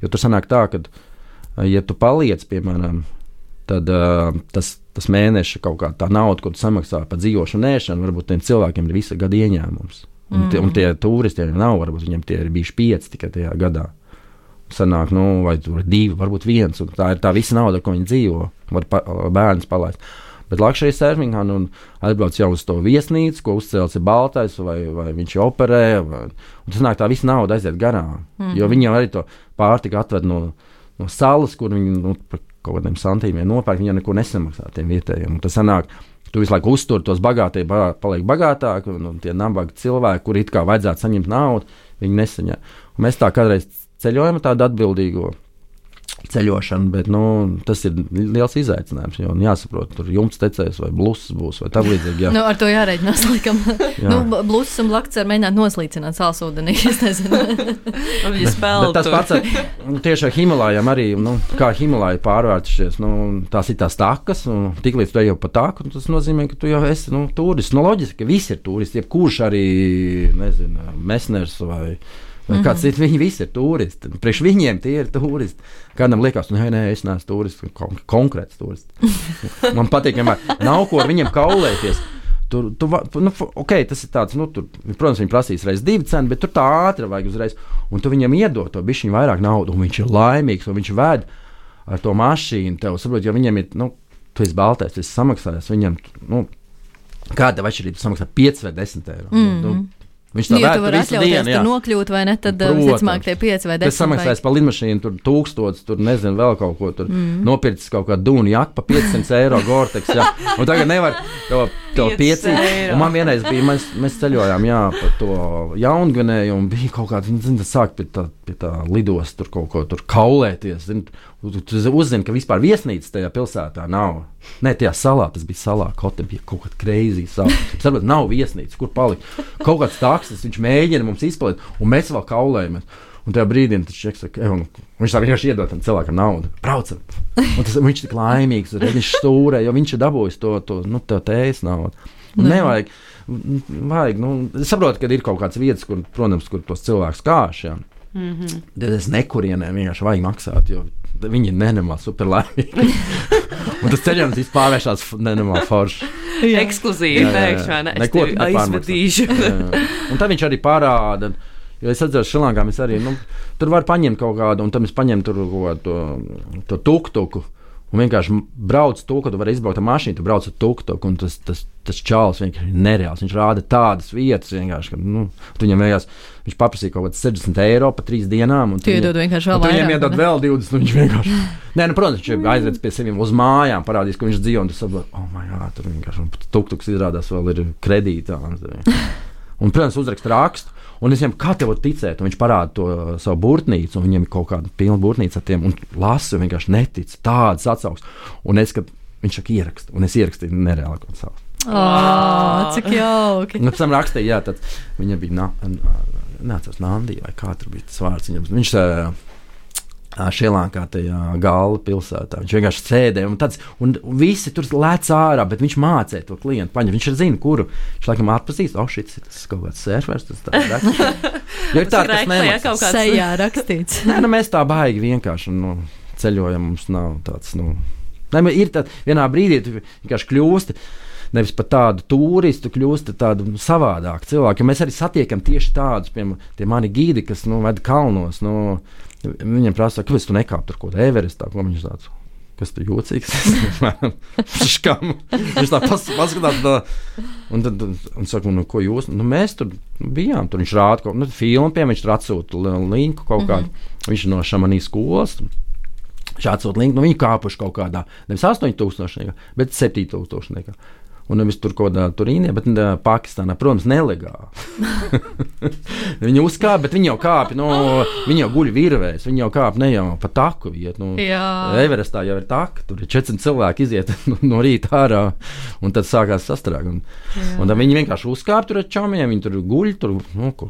Jo tur sanāk tā, ka ja tu paliec, piemēram, tad tas mēneša kaut kā tā nauda, ko tu samaksā par dzīvošanu, ēšanu, varbūt tiem cilvēkiem ir visa gada ieņēmums. Un tie turisti nav, varbūt viņiem tie ir bijuši 5 tikai tajā gadā. Sanāk, vai tur 2, varbūt 1, un tā ir tā visa nauda, ko viņi dzīvo, var bērns palaist. Bet luxury surfingā atbrauc jau uz to viesnīcu, ko uzcēlis ir baltais, vai viņš operē, un tas nāk tā visa nauda aiziet garām. Jo viņi jau arī to pārtiku atved no salas, kur viņi par kaut kādiem santīmiem nopērk, viņi jau neko nesamaksā tiem vietējiem. Un tas sanāk, tu visu laiku uztur tos bagātie, paliek bagātāki, un tie nabagi cilvēki, kuri it kā vajadzētu saņemt naudu, viņi nesaņem. Un mēs tā kādreiz ceļojam tādu atbildīgo ceļošanu, bet tas ir liels izaicinājums. Jo jāsaprot, tur jumts tecēs vai blusas būs vai tā līdzīgi. Jā. Ar to jārēķinās, laikam. Blusas un blakts var mēģināt noslīcināt sālsūdenī. Es nezinu. Bet tas pats tieši ar Himalājām arī, kā Himalāja pārvērtušies, tās ir tās takas, un tiklīdz tu ej pa taku, tas nozīmē, ka tu jau esi turists. Loģiski, ka visi ir turisti, jebkurš arī, nezinu, Mesners vai kāds cits, viņi visi ir turisti. Priekš viņiem tie ir turisti. Kādam liekas, nē, es neesmu turists, konkrēts turists. Man patīk, vienmēr nav ko ar viņiem kaulēties. Tas ir tāds, protams, viņi prasīs reiz 2 centi, bet tur tā ātri vajag uzreiz. Un tu viņam iedod to bišķiņu vairāk naudu, un viņš ir laimīgs, un viņš ved ar to mašīnu tev. Saprot, jo viņam ir, tu esi baltais, tu esi samaksājis, viņam, kāda atšķirība samaksā 5 vai 10 eiro. Viņš tā tu vari atļauties tur nokļūt, vai ne, tad visticamāk tie 5 vai 10. Tas samaksājas par lidmašīnu, tur 1000, tur nezinu vēl kaut ko, tur nopircis kaut kādu dūnu jaku pa 500 eiro Gore-Tex, jā. Un tagad nevar to 5 eiro. Un man vienreiz bija, mēs ceļojām, pa to Jaungvinēju, un bija kaut kāds, sāk pie tā lidos tur kaut ko tur kaulēties, tu uzzini, ka vispār viesnīcas tajā pilsētā nav. Nē, tajā salā, tas bija salā, kote bija kaut kāda crazy salā. Saprot, nav viesnīcas, kur palikt. Kaut kāds taksis, viņš mēģina mums izpalikt, un mēs vēl kaulējamies. Un tajā brīdī viņš saka, viņš tā vienkārši iedod tam cilvēkam naudu. Braucam! Un viņš tik laimīgs, viņš stūrē, jo viņš ir dabūjis to tējas naudu. Un nevajag, saprotu, ka ir kaut kāds vietas, kur, protams, kur tos cilvēkus kāš, jā. Tad es nekurienē vienkārši vajag maksāt, jo viņi ir nenormāli super laimīgi. Un tas ceļojums vispār pārvēršās nenormāli forši. Ekskluzīvi pēkšņi, ne? Es tevi aizvedīšu. Un tad viņš arī parāda, jo es atceros Šrilankā, mēs arī, tur var paņemt kaut kādu, un tad mēs paņem tur to tuk-tuku, un vienkārši brauc to, ka tu vari izbraukt ar mašīnu, tu brauc ar tuk-tuku, un tas čāls vienkārši ir nereāls. Viņš rāda tādas vietas vienkārši, ka viņam vienkārši, viņš paprasīja kaut kāds 60 eiro pa 3 dienām, un tu iedod vienkārši vēl vairāk. Viņam iedod vēl 20, un viņš vienkārši, protams, viņš aizredz pie seviem uz mājām, parādīs, ka viņš dzīvo, un tu saproti, tur vienkārši, tuk-tuks izrādās vēl ir kredītā. Un, protams, uzrakst rakstu, un es viņam, kā tev var ticēt, un viņš parāda to savu burtnīcu, un viņam ir kaut kāda pilna burtnīca ar tiem, un lasa, un vienkārši netic, tādas atsauks. Un es, kad viņš saka ierakst, un es ierakstīju nereāli kaut savu. Cik jauki. Pēc tam rakstīja, viņa bija neatceros Nandija, vai kā tur bija tas vārds. Viņš Šrilankā tajā Gala pilsētā. Viņš vienkārši sēdēja, un visi tur lēc ārā, bet viņš mācīja to klientu paņemt. Viņš ir zina, kuru. Viņš laikam atpazīst, šis ir kaut kāds surfers, tas tāds raksts. Jo ir tā, kas nemaksā. Sejā rakstīts. Mēs tā baigi vienkārši ceļojam, mums nav tāds, ir tā, vienā brīdī tu vienkārši kļūsti, nevis par tādu turistu, kļūsti tādu savādāku cilvēku. Jo mēs arī satiekam tieši tādus, piemēram, tie mani gīdi, kas ved kalnos, viņam prasa, kāpēc tu nekāp tur kaut kādā Everestā, ko viņš tāds, kas tu jocīgs? Viņš tā paskatās tā, un saka, ko jūs? Mēs tur bijām, tur viņš rāda kaut filmu, piemēram, viņš tur atsūta linku kaut kādu, viņš no Šamanī skolas, viņš atsūta linku, viņi kāpuši kaut kādā, nevis 8000, bet 7000. Un nevis tur kaut kādā Turīnē, bet Pakistānā, protams, nelegāli. Viņi uzkāpa, bet viņi jau kāpi, viņi jau guļ virvēs, viņi jau kāpa ne jau pa taku iet. Everestā jau ir taka, tur ir 400 cilvēki iziet no rīta ārā, un tad sākās sastrāk. Un tad viņi vienkārši uzkāpa tur ar čomiem, viņi tur guļ, tur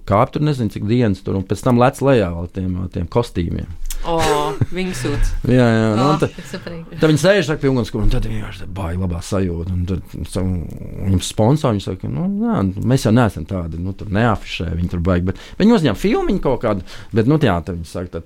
kāp tur nezinu cik dienas tur, un pēc tam lec lejā vēl tiem kostīmiem. Viņi sūdz. Jā, tad viņi sēž pie ugunskura, un tad vienkārši baigi labā sajūta. Un tad viņam sponsori, viņi saka, mēs jau neesam tādi, tur neafišē, viņi tur baigi, bet viņi uzņem filmiņu kaut kādu, bet, tad viņi saka, tad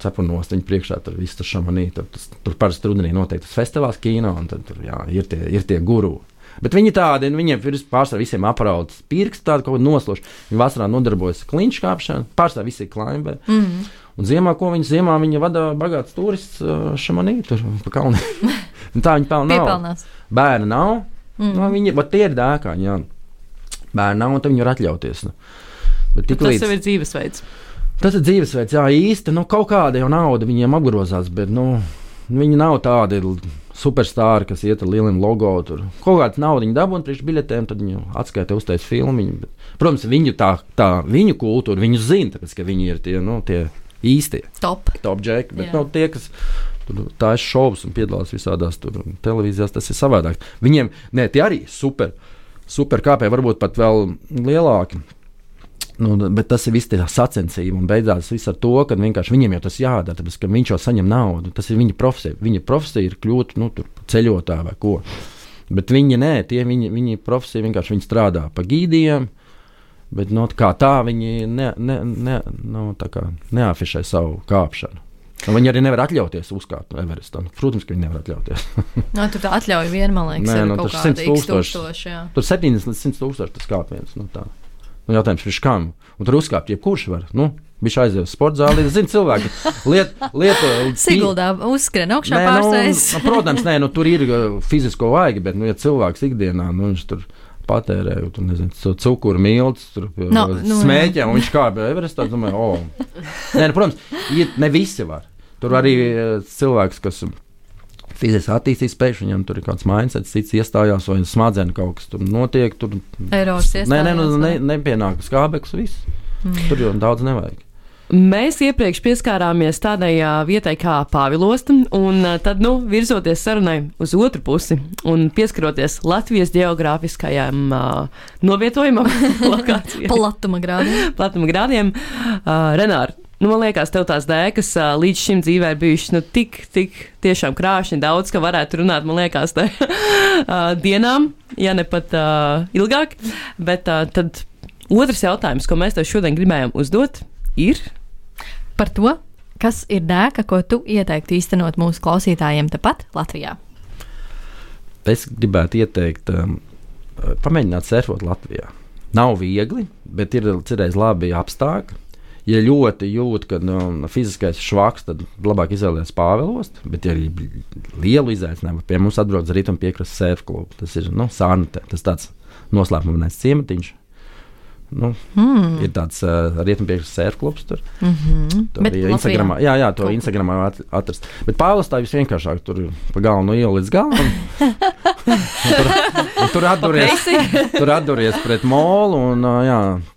cepurnos, viņi priekšā tur viss tas Šamanī, tur parasti rudenī noteikti tas festivāls kino, un tad tur, ir tie guru. Bet viņi tādi, viņiem ir pārsvarā visiem aprauts pirksti, tādi kaut kādi nosloši. Viņi vasarā nodarbojas klinšu kāpšanu, pārsvarā visi ir klimberi. Un ziemā, viņi vada bagāts turists Šamanī, tur pa kalniem. Tā viņi pelna nav. Bērni nav. Viņi, tie ir dēkāņi, jā. Bērni nav, un tad viņi var atļauties. Tas jau ir dzīvesveids. Tas ir dzīvesveids, jā, īsti. Kaut kāda jau nauda viņiem apgrozās, bet, viņi nav tādi superstāri, kas iet ar lieliem logo. Tur kaut kāda nauda viņi dabūna priekš biļetēm, tad viņi atskaita uztais filmiņu. Bet, protams, viņu tā viņu kultūra, viņu zina, tāpēc, ka viņi ir tie īstie. Top džeki, bet no tie, kas tā ir šovs un piedalās visādās televīzijās, tas ir savādāk. Viņiem, tie arī super kāpēji, varbūt pat vēl lielāki. Bet tas ir viss tie sacensība un beidzās viss ar to, ka vienkārši viņiem jau tas jādara, tāpēc, ka viņš jau saņem naudu. Tas ir viņa profesija. Viņa profesija ir kļūt ceļotā vai ko. Bet viņi profesija vienkārši viņi strādā pa gīdiem, bet kā tā viņi neafišē savu kāpšanu. Un viņi arī nevar atļauties uzkāpt Everestam. Protams, ka viņi nevar atļauties. Tur tā atļauja vien, man liekas, ir kaut kāda x-tūkstoši. Tur 70 līdz 100 tūkstoši tas kāpiens. Jautājums ir kam? Un tur uzkāpt jebkurš var. Viņš aizies uz sporta zāli. Zinu, cilvēki lietu... Siguldā uzskrien augšā pārsteidz. Protams, tur ir fizisko vajag, bet, ja cilvēks ikdienā, viņš tur patērē, cukuru miltus, smēķē, un viņš kāpj Everestā, domāju, protams, ne visi var. Tur arī cilvēks, kas fiziski attīstīt spēju, viņam tur ir kāds mindsets, cits iestājās, vai smadzenes kaut kas tur notiek. Eiros iestājās. Nepienāk skābeklis, viss. Tur jau daudz nevajag. Mēs iepriekš pieskārāmies tādai vietai kā Pāvilosta, un tad, virzoties sarunai uz otru pusi un pieskaroties Latvijas geogrāfiskajām novietojumam, lokācijām. Platuma grādiem. Renār, man liekas, tev tās dēkas līdz šim dzīvē ir bijušas tik tiešām krāšņi daudz, ka varētu runāt, man liekas, dienām, ja ne pat ilgāk. Bet tad otrs jautājums, ko mēs tev šodien gribējām uzdot, ir par to, kas ir dēka, ko tu ieteiktu īstenot mūsu klausītājiem tepat Latvijā. Es gribētu ieteikt pamēģināt surfot Latvijā. Nav viegli, bet ir cerēs labi apstākļi. Ja ļoti jūt, ka fiziskais švaks, tad labāk izvēlēties Pāvilostu, bet ja ir lielu izaicinājumu, pie mums atbrauc Rietumpiekrastes surf klubu. Tas ir Sārnutē, tas tāds noslēpumainais ciematiņš. Ir tāds Rietumpiekrastes surf klubs tur. Bet Instagramā, to Instagramā atrast. Bet Pāvilostā visvienkāršāk, tur pa galvenu ielu līdz galam. Tur atduries pret molu un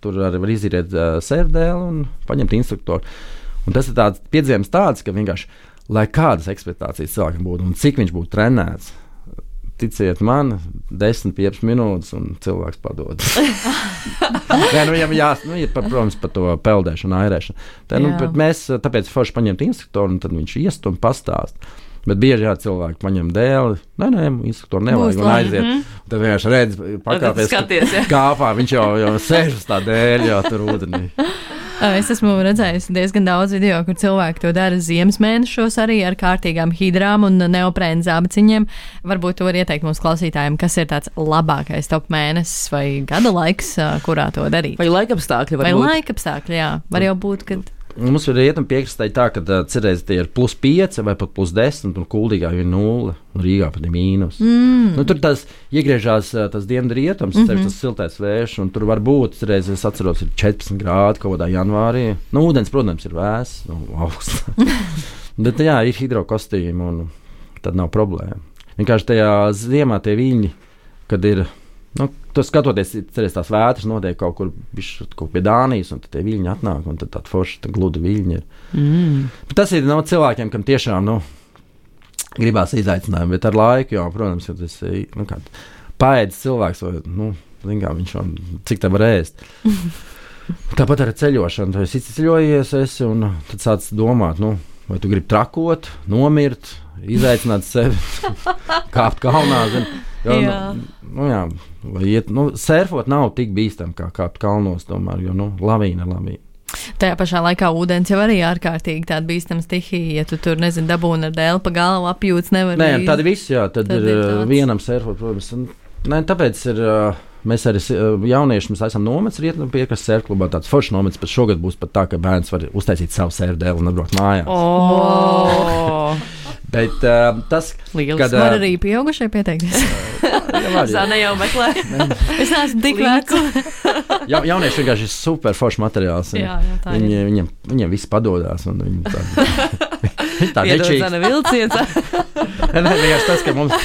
tur arī var izīrēt sērfdēlu un paņemt instruktoru. Un tas ir tāds piedzīvojums tāds, ka vienkārši, lai kādas ekspektācijas cilvēkam būtu un cik viņš būtu trenēts, ticiet man, 10-15 minūtes un cilvēks padod. Viņam ir, protams, par to peldēšanu, airēšanu. Bet mēs tāpēc forši paņemt instruktoru un tad viņš iest un pastāst. Bet bieži cilvēki paņem dēli, instruktori nevajag un aiziet. Tad vienkārši redz, pakāpies kāpā, viņš jau sēž uz tā dēļ, jau tur ūdenī. Es esmu redzējusi diezgan daudz video, kur cilvēki to dara ziemas mēnešos arī ar kārtīgām hidrām un neoprēnu zābaciņiem. Varbūt tu vari ieteikt mūsu klausītājiem, kas ir tāds labākais top mēnesis vai gada laiks, kurā to darīt. Vai laikapstākļi var būt? Vai laikapstākļi, jā. Var jau būt, kad... Mums ir Rietumpiekrastē tā, ka cerēs tie ir +5 vai pat +10 un Kuldīgā ir 0 un Rīgā pat ir mīnus. Tur tas iegriežās tas dienvidu rietums, tas siltais vējš, un tur var būt, cerēs, es atceros, ir 14 grādi kaut kādā janvārī. Ūdens, protams, ir vēss, augsts. Bet ir hidrokostīmi un tad nav problēma. Vienkārši tajā ziemā tie viļņi, kad ir... Tu skatoties, cerēs tās vētras notiek kaut kur pie Dānijas, un tad tie viļņi atnāk, un tad tāda forša gluda viļņi ir. Bet tas ir cilvēkiem, kam tiešām gribās izaicinājumu, bet ar laiku jau, protams, ja tas ir paēdis cilvēks, vai viņš cik te var ēst. Tāpat ar ceļošanu, tu esi ceļojies, un tad sāc domāt, vai tu gribi trakot, nomirt, izaicināt sevi, kāpt kalnā, vai iet, surfot nav tik bīstam kā kāpt kalnos, tomēr, jo, lavīna ir lavīna. Tajā pašā laikā ūdens jau arī ārkārtīgi tāda bīstama stihija, ja tu tur, dabūni ar dēli pa galvu apjūts, nevar. Tad viss, tad ir vienam surfot, protams. Tāpēc ir, mēs arī jaunieši, mēs esam nomets Rietumpiekrastes surf klubā, tāds foršs nomets, bet šogad būs pat tā, ka bērns var uztaisīt savu surfdēli un atbraukt mājās. Bet tas, kad... Var arī pieaugušai pieteikties. Zana jau meklē. Es neesmu tik vecs. Jaunieši vienkārši ir super foršs materiāls. Viņiem viss padodās. Viņi tā nečīgs. Zana vilciens. Vienkārši tas, ka mums...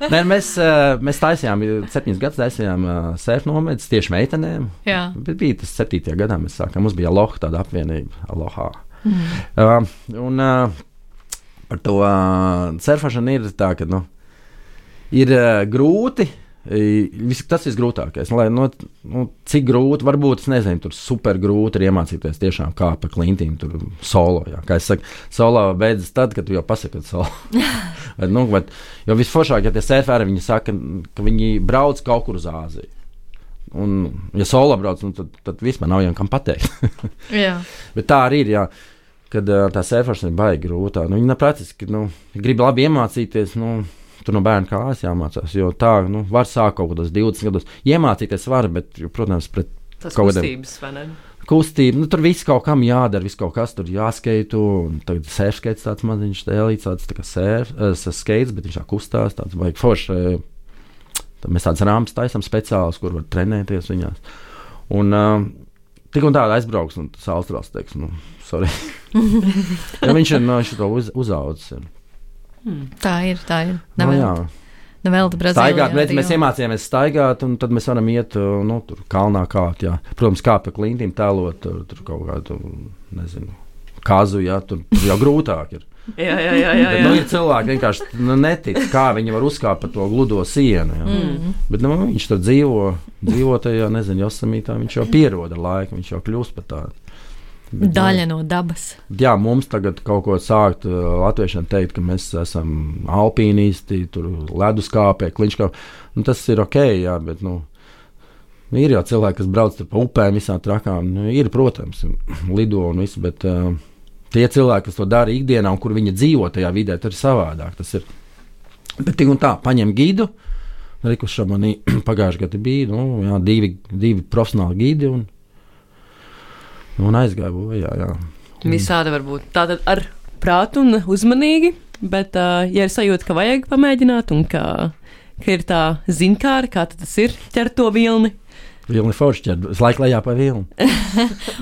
Mēs taisījām, 7 gadus taisījām surf nomedus tieši meitenēm. Bet bija tas 7. gadā mēs sākām. Mums bija Aloha tāda apvienība. Aloha. Un par to surfēšanu ir tā, ka ir grūti. Tas ir grūtākais. Cik grūti, varbūt, es nezinu, tur super grūti ir iemācīties tiešām kā pa klintīm, tur solo. Jā. Kā es saku, solo beidzas tad, kad tu jau pasaki, ka solo. Jo visforšāk, ja tie surferi, viņi saka, ka viņi brauc kaut kur uz Āziju. Un, ja solo brauc, tad vispār nav jau kam pateikt. Bet tā arī ir, jā, kad tā surfēšana ir baigi grūtā. Viņi praktiski grib labi iemācīties, tur no bērna kājas jāmācās, jo tā, var sākt kaut kādos 20 gados. Iemācīties var, bet, protams, pret tas kustības, vai ne? Kustība, tur viss kaut kam jādara, viss kaut kas tur jāskeitu, un tagad surfskaits tāds maziņš tēlīts, tāds tā kā skaits, bet viņš tā kustās, tāds baigi forši. Tad mēs tādas rāmas taisam speciālas, kur var trenēties viņās. Un tik un tāda aizbrauks, un tas Austrāls teiks, sorry. Ja viņš ir to uzaudzis. Tā ir. Nevēl Brazīlijā. Staigāt, mēs iemācījāmies staigāt, un tad mēs varam iet, tur kalnā kāpt, jā. Protams, kā pa klintīm tēlot, tur kaut kādu, nezinu, kazu, jā, tur jau grūtāk ir. Jā. Bet, ir cilvēki vienkārši netic, kā viņi var uzkāpt pa to gludo sienu, jā. Bet, viņš tur dzīvo tajā, nezinu, Josemītā, viņš jau pierod ar laiku, viņš jau kļūst par tādu. Daļa no dabas. Jā, mums tagad kaut ko sākt latviešiem teikt, ka mēs esam alpīnisti, tur leduskāpē, kliņškāpē. Tas ir ok, jā, bet, ir jau cilvēki, kas brauc tur pa upēm, visām trakām. Ir, protams, lido un viss, bet tie cilvēki, kas to dara ikdienā un kur viņi dzīvo tajā vidē, tur ir savādāk. Tas ir. Bet tik un tā, paņem gidu, Rikus Šamanī pagājuši gadi bija, divi profesionāli gidi un aizgāja bojā, jā. Visādi var būt. Tātad ar prātu un uzmanīgi, bet, ja ir sajūta, ka vajag pamēģināt un ka ir tā zinkāra, kā tas ir ķert to vilni. Vilni forši ķert, es laiku lejā pa vilni.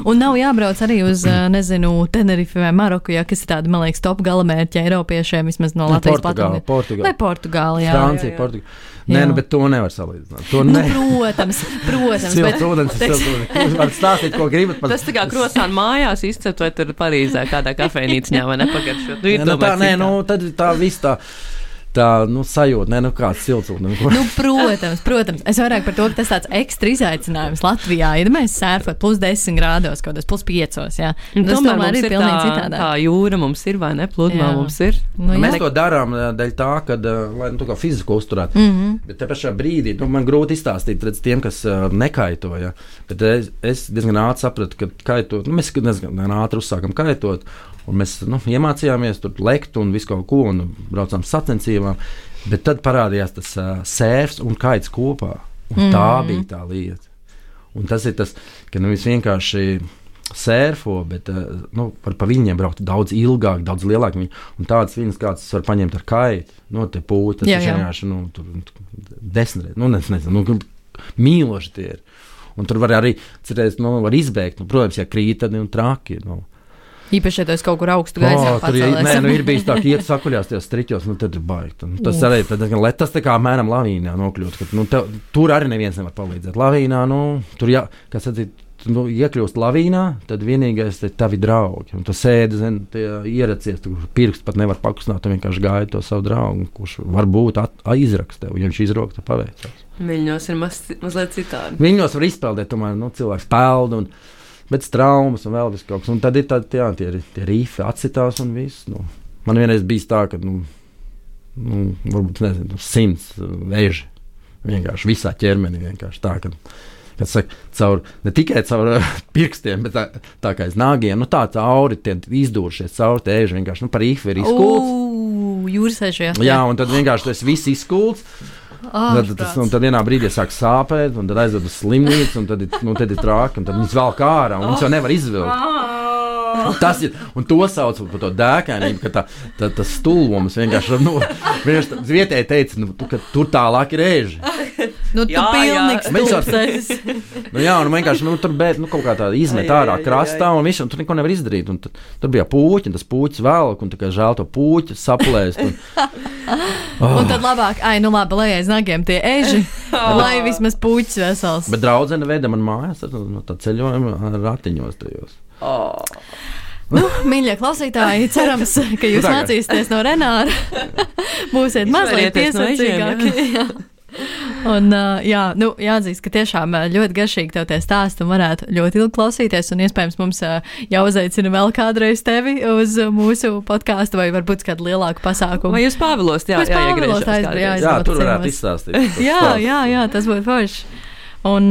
Un nav jābrauc arī uz, Tenerifi vai Maroku, kas ir tādi, man liekas, top galamērķi Eiropiešiem, vismaz no Latvijas platformiem. Portugāla. Vai Portugāla, jā. Francija, Portugāla. Nē, bet to nevar salīdzināt. Protams. Jūs varat stāstīt, ko gribat. Tas tā kā krosāna mājās izcept, vai tur Parīzē kādā kafejnīcņā, vai nepagaršot. Tad tā viss tā sajūta, kāds silts. Protams. Es vairāk par to, ka tas tāds ekstra izaicinājums Latvijā. Ja mēs sērfot plus 10 grādos, kaut kādos plus 5, jā. Tas tomēr ir pilnīgi citādāk. Tā jūra mums ir, vai ne? Pludmā mums ir. Mēs to darām dēļ tā, lai kā fiziku uzturētu. Bet te pašā brīdī, man grūti izstāstīt redz tiem, kas nekaito, ja. Bet es diezgan ātri sapratu, ka kaitot, mēs diezgan ātri uzsākam kaitot. Un mēs iemācījāmies tur lekt un visu kaut ko, un braucām sacensībām. Bet tad parādījās tas sērfs un kaits kopā. Un tā bija tā lieta. Un tas ir tas, ka nevis vienkārši sērfo, bet var pa viņiem braukt daudz ilgāk, daudz lielāk. Un tādas viņas, kāds var paņemt ar kaitu, te pūti, tas ir vienkārši, tur 10 reizes, nezinu, mīloši tie ir. Un tur var arī, cerēs, var izbēgt, protams, ja krīt, tad traki, Īpaši, ja tu esi kaut kur augstu gaisā pacēlēs. Ir bijis tā, ka iet sakuļās tajos striķos, tad ir baigt. Tas arī tas tā kā mēram lavīnā nokļūt. Tur arī neviens nevar palīdzēt. Lavīnā, tur kā sacīt, iekļūst lavīnā, tad vienīgais ir tavi draugi. Un tu sēdi, ieracies, tu pirksts pat nevar pakustināt, tu vienkārši gaidi to savu draugu, kurš varbūt izraks tev. Ja viņš izrok, tad paveicās. Viļņos ir mazliet citādi. Viļņos var izpeldēt, tomēr cilvēks peld bet traumas un vēl viss kaut kas. Un tad ir tie rifi atsitās un viss. Man vienreiz bija tā, ka, varbūt, 100 vēži. Vienkārši visā ķermenī vienkārši tā, kad saka, ne tikai caur pirkstiem, bet tā kā aiz nāgiem, tā cauri tie izdūrušies cauri tie vēži vienkārši, par rifi ir izkults. Jūrasēžu, jā, un tad vienkārši tas viss izkults. Tad vienā brīdī sāk sāpēt, un tad aizved uz slimnīcu, un tad ir trāki, un tad viņas vēl kā ārā, un viņas jau nevar izvilkt. Tas ir, un to sauc par to dēkainību, ka tas stulvums vienkārši vietēji teica, ka tur tālāk ir ēži. Tu pilnīgs stulbs. Un vienkārši tur kaut kā tā izmet ārā krastā, un visu, un tur neko nevar izdarīt. Un tur bija puķi, un tas puķis vēlāk, un tā kā žēl to puķi saplēst. Un tad labāk, labi, lai aiz nagiem tie eži, lai vismaz puķis vesels. Bet draudzene veda man mājās no tā ceļojuma ratiņos tajos. Mīļie klausītāji, cerams, ka jūs mācīsieties no Renāra. Būsiet mazliet piesardzīgāki. Un, jāatzīst, ka tiešām ļoti garšīgi tev tie stāsti un varētu ļoti ilgi klausīties, un iespējams mums jāuzaicina vēl kādreiz tevi uz mūsu podkāstu, vai varbūt kādu lielāku pasākumu. Vai jūs Pāvilos, jā, tur varētu izstāstīt. Jā, tas būtu forši. Un,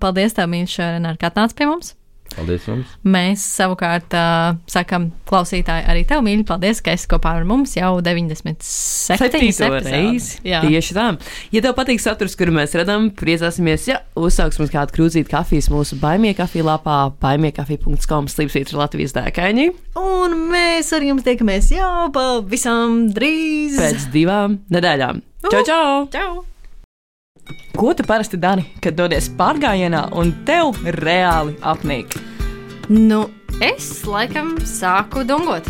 paldies tev, mīļš, Renār, ka atnāc pie mums. Paldies jums. Mēs savukārt sakam klausītāji arī tev, mīļi, paldies, ka esi kopā ar mums jau 97. reizi. Tieši tā. Ja tev patīk saturs, kuru mēs redzam, priecāsimies, ja uzsāks mums kādu krūzīti kafijas mūsu Baimie kafija lapā baimiekafija.com/ Latvijas dēkaini. Un mēs ar jums tiekamies jau pavisam drīz. Pēc 2 nedēļām. Čau! Čau! Ko tu parasti dari, kad dodies pārgājienā un tev reāli apnīk? Nu, es laikam sāku dungot.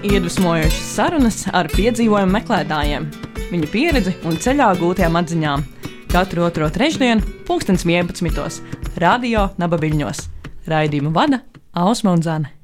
Iedvesmojošas sarunas ar piedzīvojumu meklētājiem, viņu pieredzi un ceļā gūtajām atziņām. Katru otro trešdienu, 11:00, Radio Naba Viļņos. Raidījumu vada Ausma un Zane.